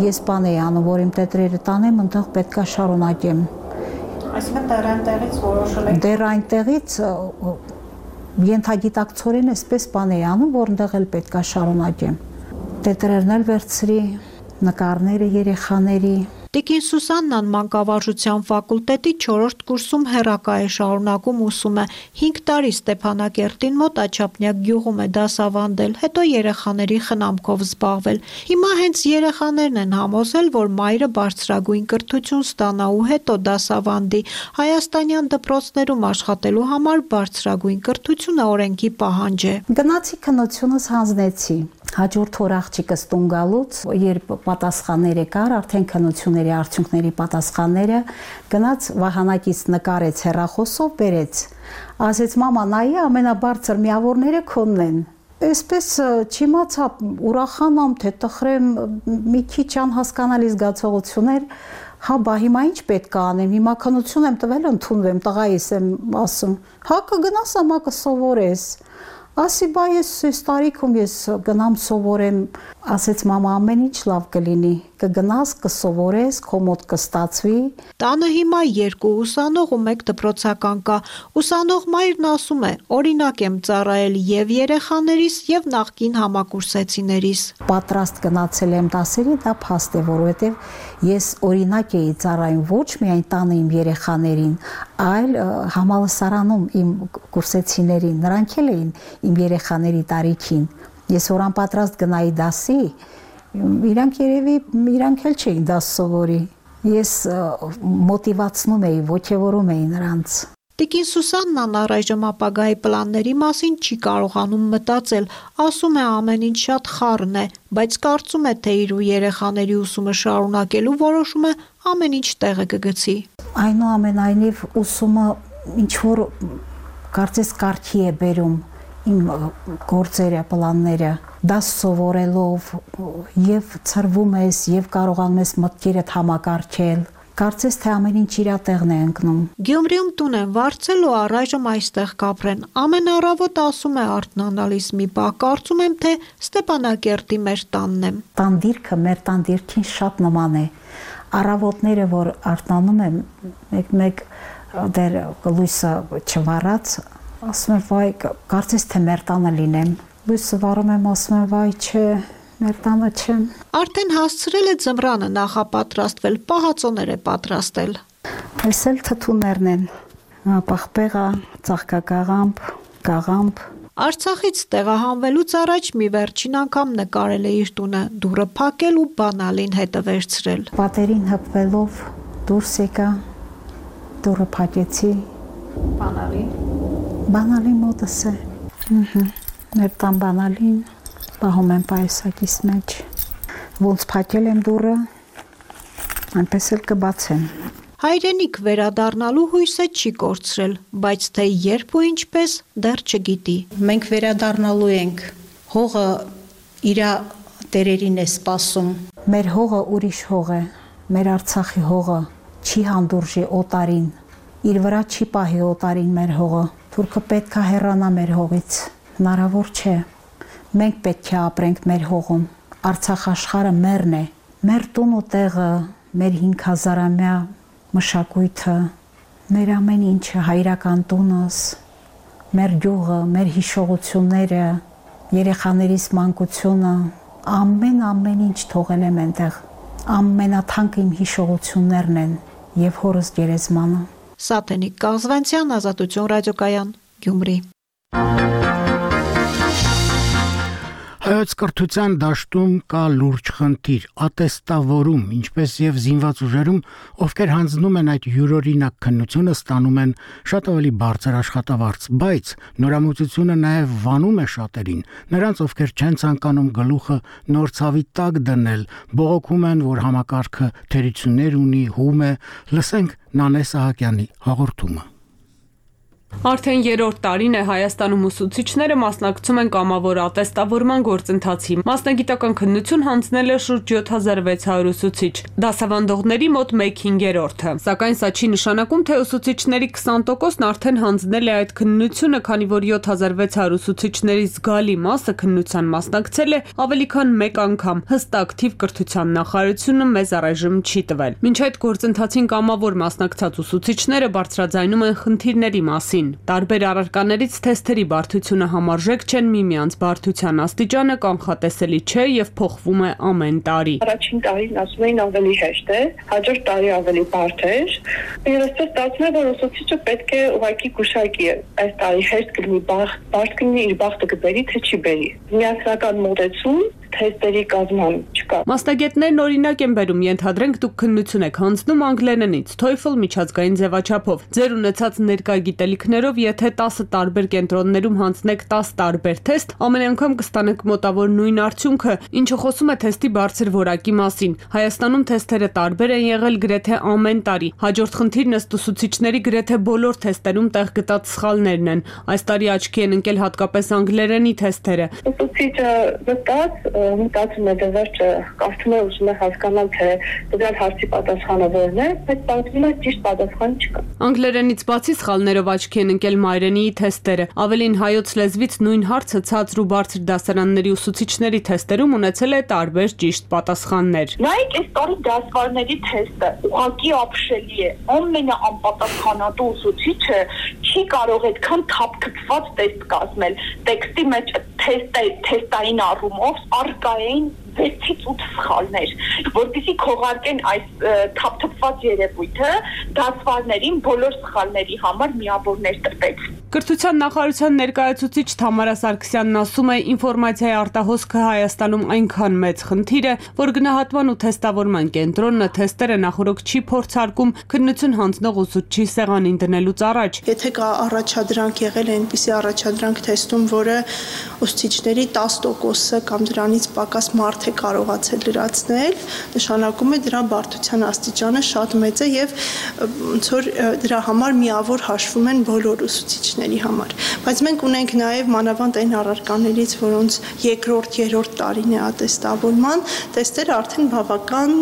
ես բան էի անում, որ իմ տետրերը տանեմ, այնտեղ պետքա շարունակեմ։ Այսինքն դեռ այնտեղից որոշել եք։ Դեռ այնտեղից ենթագիտակցորեն այսպես բան էի անում, որ այնտեղ էլ պետքա շարունակեմ։ Տետրերն էլ վերցրի, նկարները երեխաների։ Տիկին Սուսաննան մանկավարժության ֆակուլտետի չորրորդ կուրսում հեռակա է շարունակում ուսում է, հինգ տարի Ստեփանակերտին մոտ Աչափնյակ գյուղում է դասավանդել, հետո երեխաների խնամքով զբաղվել։ Հիմա հենց երեխաներն են համոզել, որ մայրը բարձրագույն կրթություն ստանա ու հետո դասավանդի։ Հայաստանյան դպրոցներում աշխատելու համար բարձրագույն կրթությունը օրենքի պահանջ է։ Գնացի քննությունս հանձնեցի։ Հաջորդ օր աղջիկս տուն գալուց, երբ պատասխանները կար, արդեն քննությունների արդյունքների պատասխանները, գնաց վահանակից նկարեց հեռախոսով, բերեց։ Ասեց մամա, նայի ամենաբարձր միավորները քոնն են։ Այսպես չիմացա, ուրախանամ, թե տխրեմ, մի քիչ անհասկանալի զգացողություններ, հա բա հիմա ինչ պետք է անեմ, հիմա քննություն եմ տվել, ընդունվեմ, տղայիս եմ ասում, հա կգնաս, ամա կսովորես։ Ասի բա ես այս տարիքում ես գնամ սովորեմ, ասեց մամա ամեն ինչ լավ կլինի, կգնաս, կսովորես, քո մոտ կստացվի։ Տանը հիմա երկու ուսանող ու մեկ դպրոցական կա։ Ուսանող մայրն ասում է, օրինակ եմ ծառայել եւ երեխաներիս եւ նախկին համակուրսեցիներիս։ Պատրաստ գնացել եմ դասերի, դա փաստ է, որովհետեւ ես օրինակ էի ծառայում ոչ միայն տանը իմ երեխաներին, այլ համալսարանում իմ կուրսեցիներին, նրանք էլ էին իմ երեխաների տարիքին։ Ես որ անպատրաստ գնայի դասի, իրանք երևի իրանք էլ չէին դաս սովորի։ Ես մոտիվացնում էի, ոգևորում էի նրանց։ Տիկին Սուսաննան առայժմ ապագայի պլանների մասին չի կարողանում մտածել, ասում է ամեն ինչ շատ խառն է, բայց կարծում է, թե իր ու երեխաների ուսումը շարունակելու որոշումը ամեն ինչ տեղը կգցի։ Այնուամենայնիվ ուսումը ինչ որ կարծես կարգի է բերում իմ գործերը, պլանները, դաս սովորելով եւ ծրվում ես եւ կարողանում ես մտքերդ համակարգել։ Կարծես թե ամեն ինչ իր տեղն է ընկնում։ Գյումրիում տուն են վարձել ու առայժմ այստեղ կապրեն։ Ամեն առավոտ ասում է արթնանալիս մի պահ, կարծում եմ, թե Ստեփանակերտի մեր տանն եմ։ Տան դիրքը մեր տան դիրքին շատ նման է։ Առավոտները, որ արթնանում եմ, մեկ-մեկ դեռ լույսը չվառած, ասում եմ, վայ, կարծես թե մեր տանը լինեմ։ Լույսը վառում եմ, ասում եմ, վայ, չէ, մեր տանը չեմ։ Արդեն հասցրել է ձմռանը նախապատրաստվել, պահածոներ է պատրաստել։ Այս էլ թթուներն են, պաղպեղա, ծաղկակաղամբ, կաղամբ։ Արցախից տեղահանվելուց առաջ մի վերջին անգամ նկարել է իր տունը, դուռը փակել ու բանալին հետը վերցրել։ Պատերին հպվելով դուրս եկա, դուռը փակեցի։ Բանալին։ Բանալին մոտս է։ Մեր տան բանալին պահում եմ պայուսակիս մեջ։ Ոնց փակել եմ դուռը, այնպես էլ կբացեմ։ Հայրենիք վերադառնալու հույսը չի կորցրել, բայց թե երբ ու ինչպես դեռ չգիտի։ Մենք վերադառնալու ենք։ Հողը իր տերերին է սպասում։ Մեր հողը ուրիշ հող է։ Մեր Արցախի հողը չի հանդուրժի օտարին։ Իր վրա չի պահի օտարին մեր հողը։ Թուրքը պետք է հեռանա մեր հողից։ Հնարավոր չէ։ Մենք պետք է ապրենք մեր հողում։ Արցախ աշխարհը մերն է։ Մեր տուն ու տեղը, մեր հինգ հազարամյա մշակույթը, մեր ամեն ինչը, հայրական տունս, մեր գյուղը, մեր հիշողությունները, երեխաներիս մանկությունը, ամեն-ամեն ինչ թողել եմ այնտեղ։ Ամենաթանկը իմ հիշողություններն են եւ հորս գերեզմանը։ Սաթենիկ Կազվանցյան, Ազատություն ռադիոկայան, Գյումրի։ Հայոց կրթության դաշտում կա լուրջ խնդիր՝ ատեստավորում, ինչպես եւ զինված ուժերում, ովքեր հանձնում են այդ յուրօրինակ քննությունը, ստանում են շատ ավելի բարձր աշխատավարձ, բայց նորամուծությունը նաեւ վանում է շատերին, նրանց, ովքեր չեն ցանկանում գլուխը նոր ցավի տակ դնել, բողոքում են, որ համակարգը թերություններ ունի, հում է։ Լսենք Նանե Սահակյանի հաղորդումը։ Արդեն երրորդ տարին է Հայաստանում ուսուցիչները մասնակցում են կամավոր ատեստավորման գործընթացի։ Մասնագիտական քննություն հանձնել է շուրջ յոթ հազար վեց հարյուր ուսուցիչ, դասավանդողների մոտ մեկ հինգերորդը։ Սակայն սա չի նշանակում, թե ուսուցիչների քսան տոկոսն արդեն հանձնել է այդ քննությունը, քանի որ յոթ հազար վեց հարյուր ուսուցիչների զգալի մասը քննության մասնակցել է ավելի քան մեկ անգամ։ Հստակ թիվ կրթության նախարարությունը մեզ առայժմ չի տվել։ Մինչ այդ գործընթացին կամավոր մասնակցած ուսուցիչները բարձրաձայնում են խնդիրների մասին։ Տարբեր առարկաներից թեստերի բարդությունը համարժեք չեն, միմյանց բարդության աստիճանը կանխատեսելի չէ եւ փոխվում է ամեն տարի։ Առաջին տարին ասում էին ավելի հեշտ է, հաջորդ տարի ավելի բարդ է։ Ես ստացվում է, որ ուսուցիչը պետք է ուղղակի գուշակի այս տարի հեշտ կլինի, բարդ կլինի, իր բախտը կբերի, թե չի բերի։ Միասնական մոտեցում թեստերի կազմում չկա։ Մասնագետներն օրինակ են բերում, ենթադրենք դուք քննություն եք հանձնում անգլերենից, TOEFL միջազգային ձևաչափով։ Ձեր ունեցած ներկա գիտելիքներով, եթե տասը տարբեր կենտրոններում հանձնեք տասը տարբեր թեստ, ամեն անգամ կստանաք մոտավոր նույն արդյունքը, ինչը խոսում է թեստի բարձր որակի մասին։ Հայաստանում թեստերը տարբեր են եղել գրեթե ամեն տարի։ Հաջորդ խնդիրն ըստ ուսուցիչների գրեթե բոլոր թեստերում տեղ գտած սխալներն են։ Այս տարի աչքի են ընկել հատկապես անգլերենի թեստերը։ Ուսուցիչը վստահ մտածում է դեռ կարծում է ուզում է հասկանալ թե դրան հարցի պատասխանը որն է, բայց պատմում է ճիշտ պատասխան չկա։ Անգլերենից բացի սխալներով աչքի են ընկել մայրենիի թեստերը։ Ավելին հայոց լեզվից նույն հարցը ցածր ու բարձր դասարանների ուսուցիչների թեստերում ունեցել է տարբեր ճիշտ պատասխաններ։ Նայեք, այս տարի դասվարների թեստը ուղղակի ապշելի է։ Ամենաանպատասխանատու ուսուցիչը չի կարող այդքան թափթփված տեստ կազմել։ Տեքստի մեջ թեստային առումով արկային վեցից ութ սխալներ, որտիսի քողարկեն այս թափթփված երևույթը, դասվարներին բոլոր սխալների համար միավորներ տրվեց։ Կրթության նախարարության ներկայացուցիչ Թամարա Սարգսյանն ասում է, ինֆորմացիայի արտահոսքը Հայաստանում այնքան մեծ խնդիր է, որ գնահատման ու թեստավորման կենտրոնը թեստերը նախորոք չի փորձարկում քննություն հանձնող ուսուցչի սեղանին դնելուց առաջ։ Եթե կա առաջադրանք եղել է այնպիսի առաջադրանք թեստում, որը ուսուցիչների տասը տոկոսը կամ դրանից պակաս մարդ է կարողացել լրացնել, նշանակում է դրա բարդության աստիճանը շատ մեծ է եւ ոնց որ դրա համար միավոր հաշվում են բոլոր ուսուցիչների համար։ Բայց մենք ունենք նաեւ մանավանդ այն առարկաներից, որոնց երկրորդ, երրորդ տարին է ատեստավորման, տեստերը արդեն բավական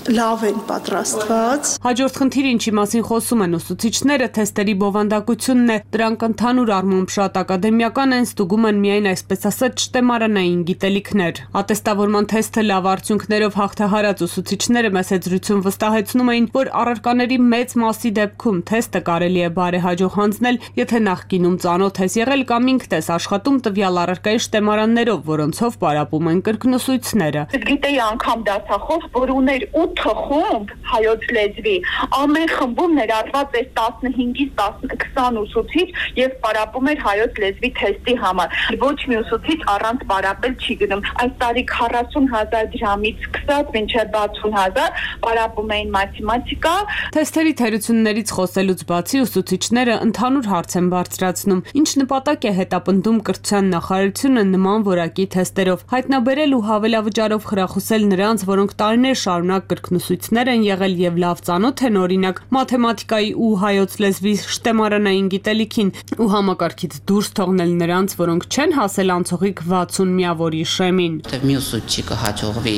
լավ են պատրաստված։ Հաջորդ խնդիրը, ինչի մասին խոսում են ուսուցիչները, թեստերի բովանդակությունն է։ Դրանք ընդհանուր առմամբ շատ ակադեմիական են, ստուգում են միայն այսպես ասած շտեմարանային գիտելիքներ։ Ատեստավորման թեստը լավ արդյունքներով հաղթահարած ուսուցիչները մեծ զրույցում վստահեցնում էին, որ առարկաների մեծ մասի դեպքում թեստը կարելի է բարեհաջող հանձնել, եթե նախկինում ծանոթ ես եղել կամ ինքդ ես աշխատում տվյալ առարկայի շտեմարաններով, որոնցով պարապում են կրկնուսույցները։ Գիտեի անգամ դասախոս, որ ուներ ութ խումբ հայոց լեզվի, ամեն խմբում ներառված էր տասնհինգից քսան ուսուցիչ եւ պարապում էր հայոց լեզվի թեստի համար։ Ոչ մի ուսուցիչ առանց պարապել չի գնում։ Այս տարի քառասուն հազար դրամից սկսած մինչեւ վաթսուն հազար պարապում էին մաթեմատիկա։ Թեստերի թերություններից խոսելուց բացի ուսուցիչները ընդհանուր հարց են բարձրացնում, ինչ նպատակ է հետապնդում կրթության նախարարությունը նման որակի թեստերով, հայտնաբերել ու հավելավճարով խրախուսել նրանց, որոնք տարիներ շարունակ կրկնուսույցներ են եղել եւ լավ ծանոթ են օրինակ մաթեմատիկայի ու հայոց լեզվի շտեմարանային գիտելիքին ու համակարգից դուրս թողնել նրանց, որոնք չեն հասել անցողիկ վաթսուն միավորի շեմին։ Մյուս ուսուցիչը կհաջողվի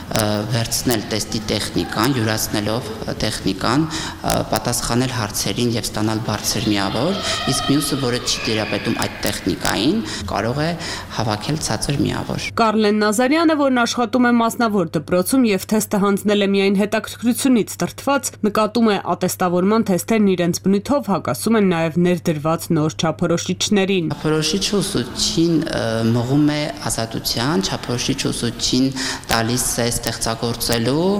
վերցնել տեստի տեխնիկան, յուրացնելով տեխնիկան, պատասխանել հարցերին եւ ստանալ բարձր միավոր, իսկ մյուսը, որը չի դերապետում այդ տեխնիկային, կարող է հավաքել ցածր միավոր։ Կարլեն Նազարյանը, որն աշխատում է մասնավոր դպրոցում եւ թեստը հանձնել է միայն հետաքրքրությունից դրդված, նկատում է ատեստավորման թեստերն իրենց բնույթով հակասում են նաեւ ներդրված նոր չափորոշիչներին։ Չափորոշիչը ուսուցչին մղում է ազատության, չափորոշիչը ուսուցչին տալիս է ստեղծագործելու,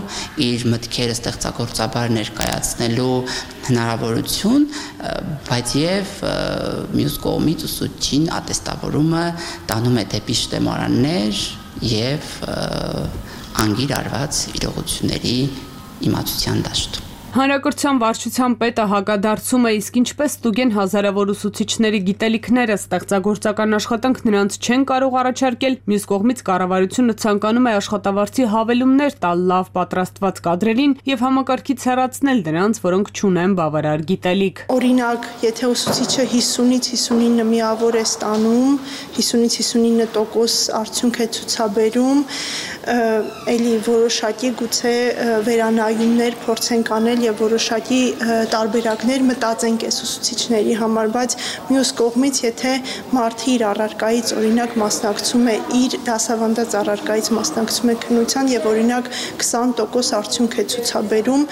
իր մտքերը ստեղծագործաբար ներկայացնելու հնարավորություն, բայց եւ մյուս կողմից ուսուցչին ատեստավորումը տանում է դեպի շտեմարաններ եւ անգիր արված իրողությունների իմացության դաշտ։ Հանրակրթության վարչության պետը հակադարձում է, իսկ ինչպես ստուգեն հազարավոր ուսուցիչների գիտելիքները, ստեղծագործական աշխատանք նրանց չեն կարող առաջարկել, մյուս կողմից կառավարությունը ցանկանում է աշխատավարձի հավելումներ տալ լավ պատրաստված կադրերին եւ համակարգից հեռացնել նրանց, որոնք չունեն բավարար գիտելիք։ Օրինակ, եթե ուսուցիչը հիսունից հիսունինը միավոր է ստանում, հիսունից հիսունինը տոկոս արդյունք է ցուցաբերում, էլի որոշակի գուցե վերանայումներ փորձենք անել եւ որոշակի տարբերակներ մտածենք այս ուսուցիչների համար, բայց մյուս կողմից, եթե մարդը իր առարկայից օրինակ մասնակցում է, իր դասավանդած առարկայից մասնակցում է քննության եւ օրինակ քսան տոկոս արդյունք է ցուցաբերում,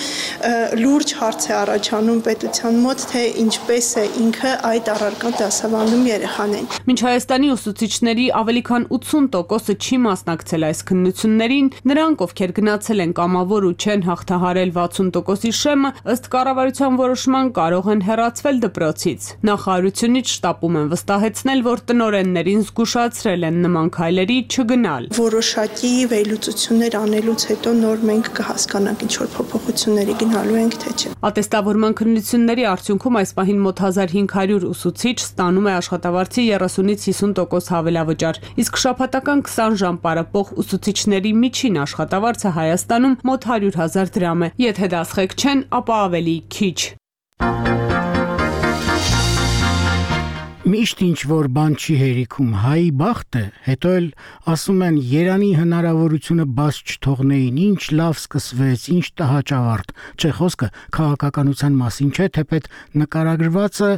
լուրջ հարց է առաջանում պետության մոտ, թե ինչպես է ինքը այդ առարկան դասավանդում երեխաներին։ Մինչ Հայաստանի ուսուցիչների ավելի քան ութսուն տոկոսը չի մասնակցել այս քննություններին, նրանք, ովքեր գնացել են կամավոր ու չեն հաղթահարել վաթսուն տոկոսի շեմը, ըստ կառավարության որոշման կարող են հեռացվել դպրոցից։ Նախարարությունից շտապում են վստահեցնել, որ տնօրեններին զգուշացրել են նման քայլերի չգնալ։ Որոշակի վերլուծություններ անելուց հետո նոր մենք կհասկանանք ինչ որ փոփոխությունների գնալու ենք, թե չէ։ Ատեստավորման քննությունների արդյունքում այս պահին մոտ հազար հինգ հարյուր ուսուցիչ ստանում է աշխատավարձի երեսունից հիսուն տոկոս հավելավճար, իսկ շաբաթական քսան ժամ պարապող ուսուցիչների միջին աշխատավարձը Հայաստանում մոտ հարյուր հազար դրամ է։ Եթե դասղեկ չեն, ապա ավելի քիչ։ Միշտ ինչ որ բան չի հերիքում, հայի բախտ է, հետո էլ ասում են Երանի հնարավորությունը բաց չթողնեին, ինչ լավ սկսվեց, ինչ տհաճավարտ, չէ խոսքը քաղաքականության մասին չէ, թեպետ նկարագրվածը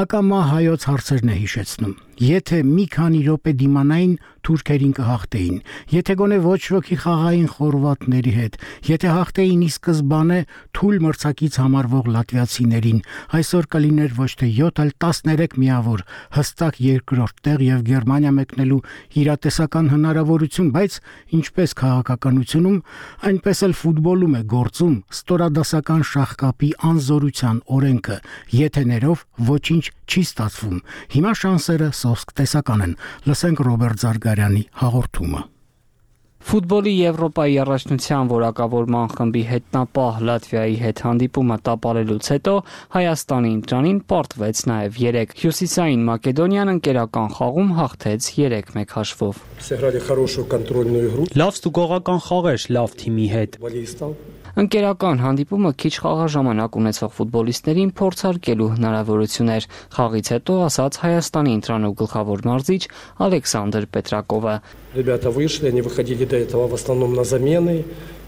ակամա հայոց հարցերն է հիշեցնում։ Եթե մի քանի րոպե դիմանային, թուրքերին կհաղթեին, եթե գոնե ոչ ոքի խաղային խորվաթների հետ, եթե հաղթեին ի սկզբանե թույլ մրցակից համարվող լատվիացիներին, այսօր կլիներ ոչ թե յոթ, այլ տասներեք միավոր, հստակ երկրորդ տեղ եւ Գերմանիա մեկնելու իրատեսական հնարավորություն, բայց ինչպես քաղաքականությունում, այնպես էլ ֆուտբոլում է գործում ստորադասական շախկապի անզորության օրենքը, եթեներով ոչինչ չի ստացվում։ Հիմա շանսերը սոսկ տեսական են։ Լսենք Ռոբերտ Զարգարյանի հաղորդումը։ Ֆուտբոլի Եվրոպայի առաջնության որակավորման խմբի հետնապահ Լատվիայի հետ հանդիպումը տապալելուց հետո Հայաստանի ընտրանին պարտվեց նաև երեք։ Հյուսիսային Մակեդոնիան ընկերական խաղում հաղթեց երեք մեկ հաշվով։ Լավ ստուգողական խաղ էր լավ թիմի հետ։ Ընկերական հանդիպումը քիչ խաղաժամանակ ունեցող ֆուտբոլիստներին փորձարկելու հնարավորություն էր։ Խաղից հետո ասաց Հայաստանի ընտրանու գլխավոր մարզիչ Ալեքսանդր Պետրակովը։ Ребята вышли, они выходили до этого в основном на замены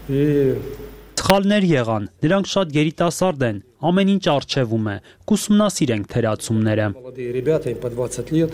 и Սխալներ եղան, նրանք շատ երիտասարդ են, ամեն ինչ արժևում է, կուսումնասիրենք թերացումները։ Молодые ребята, им по двадцать лет,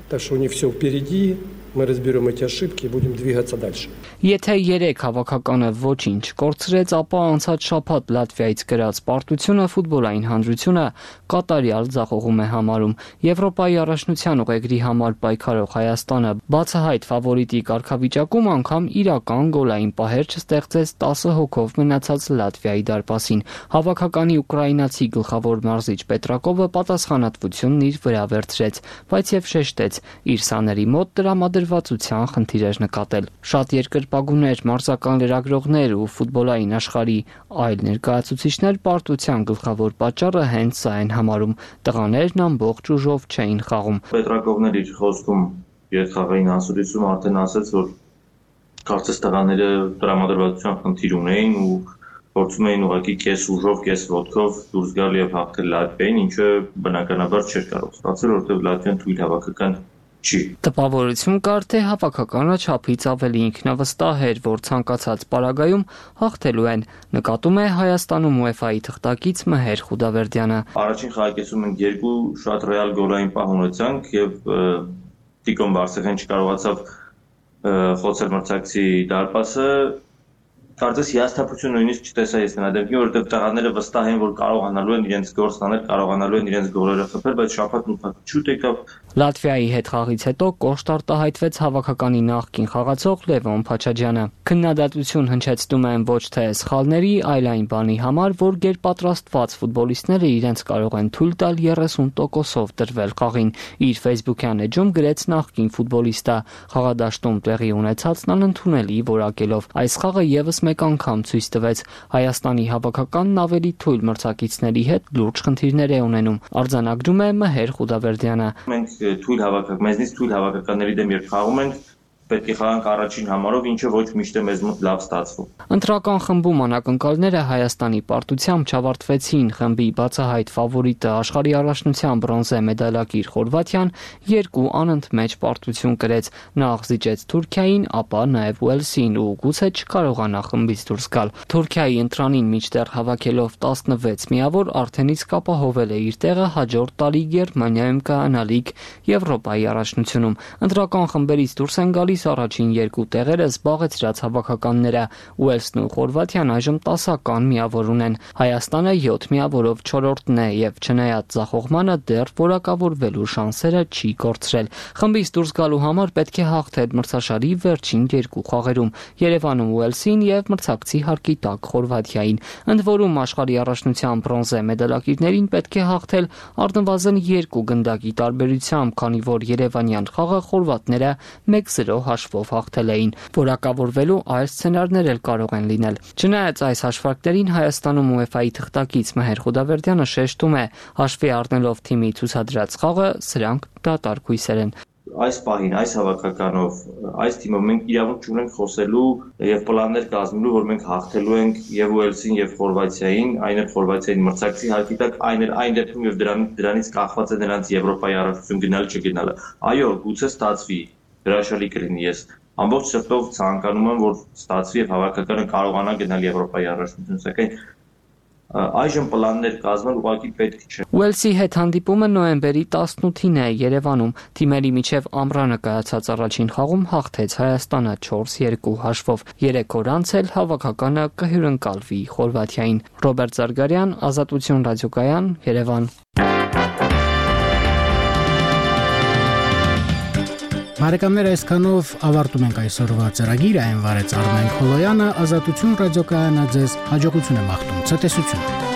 так что у них все впереди. Мы разберем эти ошибки и будем двигаться дальше. Եթե երեք հավաքականը ոչինչ կորցրեց, ապա անցած շաբաթ Լատվիայից գրած պարտությունը ֆուտբոլային հանրությունը կատարյալ ձախողում է համարում։ Եվրոպայի առաջնության ուղեգրի համար պայքարող Հայաստանը բացահայտ ֆավորիտի կարգավիճակում անգամ իրական գոլային պահեր չստեղծեց տասը հոգով մնացած Լատվիայի դարպասին։ Հավաքականի ուկրաինացի գլխավոր մարզիչ Պետրակովը պատասխանատվությունն իր վրա վերցրեց, բայց եւ շեշտեց իր սաների մոտ տրամադրվածության խնդիր էր նկատել։ Շատ երկրպագուներ, մարզական լրագրողներ ու ֆուտբոլային աշխարհի այլ ներկայացուցիչներ պարտության գլխավոր պատճառը հենց սա են համարում։ Տղաներն ամբողջ ուժով չէին խաղում։ Պետրակովն իր խոսքում երթխաղային ասուլիսում արդեն ասաց, որ կարծես տղաները տրամադրվածության խնդիր ունեին ու փորձում էին ուղղակի կես ուժով, կես ոտքով դուրս գալ եւ հաղթել Լատվիային, ինչը բնականաբար չէր կարող ստացել, որովհետեւ Լատվիան թույլ հավաքական չի։ Տպավորություն կար, թե հավաքականը չափից ավելի ինքնավստահ էր, որ ցանկացած պարագայում հաղթելու են, նկատում է Հայաստանում ՈՒԵՖԱ-ի թղթակից Մհեր Խուդավերդյանը։ Առաջին խաղակեսում մենք երկու շատ ռեալ գոլային պահ ունեցանք եւ Տիկոն Բարսեղեն չկարողացավ խոցել մրցակցի դարպասը։ Կարծես հիասթափություն նույնիսկ չտեսա ես նրա դեպքին, որովհետև տղաները վստահ են, որ կարողանալու են իրենց գործն անել, կարողանալու են իրենց գոլերը խփել, բայց շաբաթ նույնիսկ շուտ եկավ։ Լատվիայի հետ խաղից հետո կոշտ արտահայտվեց հավաքականի նախկին խաղացող Լևոն Փաչաջյանը։ Քննադատություն հնչեցնում են ոչ թե սխալների, այլ այն բանի համար, որ գերպատրաստված ֆուտբոլիստները իրենց կարող են թույլ տալ երեսուն տոկոսով տրվել խաղին։ Իր Facebook-յան էջում գրեց նախկին ֆուտբոլիստը։ Խաղադաշտում տեղի ունեցածն անընդունելի որակելով։ Այս խաղը եւս մեկ անգամ ցույց տվեց Հայաստանի հավաքականն ավելի թույլ մրցակիցների հետ լուրջ խնդիրներ է ունենում, արձանագրում է Մհեր Խուդավերդյանը։ Մենք թույլ հավաքակ, մեզնից թույլ հավաքականների դեմ երբ խաղում ենք, պետք է խաղանք առաջին համարով, ինչը ոչ միշտ է մեզ մոտ լավ ստացվում։ Ընտրական խմբում անակնկալները Հայաստանի պարտությամբ չավարտվեցին։ Խմբի բացահայտ ֆավորիտը աշխարհի առաջնության բրոնզե մեդալակիր Խորվաթիան երկու անընդմեջ պարտություն կրեց։ Նա զիջեց Թուրքիային, ապա նաև Ուելսին ու գուցե չկարողանա խմբից դուրս գալ։ Թուրքիայի ընտրանին միջտեղ հավաքելով տասնվեց միավոր արդեն իսկ ապահովել է իր տեղը հաջորդ տարի Գերմանիայում կայանալիք Եվրոպայի առաջնությունում։ Ընտրական խմբերից դուրս են գալիս առաջին երկու տեղերը զբաղեցրած հավաքականները։ Ուելսն ու Խորվաթիան այժմ տասական միավոր ունեն։ Հայաստանը յոթ միավորով չորրորդն է եւ չնայած ձախողմանը դեռ որակավորվելու շանսերը չի կորցրել։ Խմբից դուրս գալու համար պետք է հաղթել մրցաշարի վերջին երկու խաղերում՝ Երևանում Ուելսին եւ մրցակցի հարկի տակ Խորվաթիային։ Ընդ որում աշխարհի առաջնության բրոնզե մեդալակիրներին պետք է հաղթել առնվազն երկու գնդակի տարբերությամբ, քանի որ Երևանյան խաղը խորվաթները մեկ զրո հաշվով հաղթել էին։ Որակավորվելու այլ սցենարներ էլ կարող են լինել։ Չնայած այս հաշվարկներին Հայաստանում ՈՒԵՖԱ-ի թղթակից Մհեր Խուդավերդյանը շեշտում է, հաշվի առնելով թիմի ցուցադրած խաղը, սրանք դատարկ հույսեր են։ Այս պահին, այս հավաքականով, այս թիմով մենք իրավունք չունենք խոսելու եւ պլաններ կազմելու, որ մենք հաղթելու ենք եւ Ուելսին եւ Խորվաթիային, այն էլ Խորվաթիային մրցակցի հարկի տակ, այն էլ այն դեպքում եւ դրան, դրանից կախված է նրանց Եվրոպայի առաջնություն գնալ չգնալը։ Այո, գուցե ստացվի, հրաշալի կլինի, ես ամբողջ սրտով ցանկանում եմ, որ ստացվի եւ հավաքականը կարողանա գնալ Եվրոպայի առաջնություն, սակայն այժմ պլաններ կազմել ուղղակի պետք չէ։ Ուելսի հետ հանդիպումը նոյեմբերի տասնութին է Երևանում։ Թիմերի միջև ամռանը կայացած առաջին խաղում հաղթեց Հայաստանը չորս երկու հաշվով։ Երեք օր անց էլ հավաքականը կհյուրընկալվի Խորվաթիային։ Ռոբերտ Զարգարյան, Ազատություն ռադիոկայան, Երևան։ Բարեկամներ, այսքանով ավարտում ենք այսօրվա ծրագիրը, այն վարեց Արմեն Խոլոյանը, Ազատություն ռադիոկայանը ձեզ հաջողություն է մաղթում, ցտեսություն։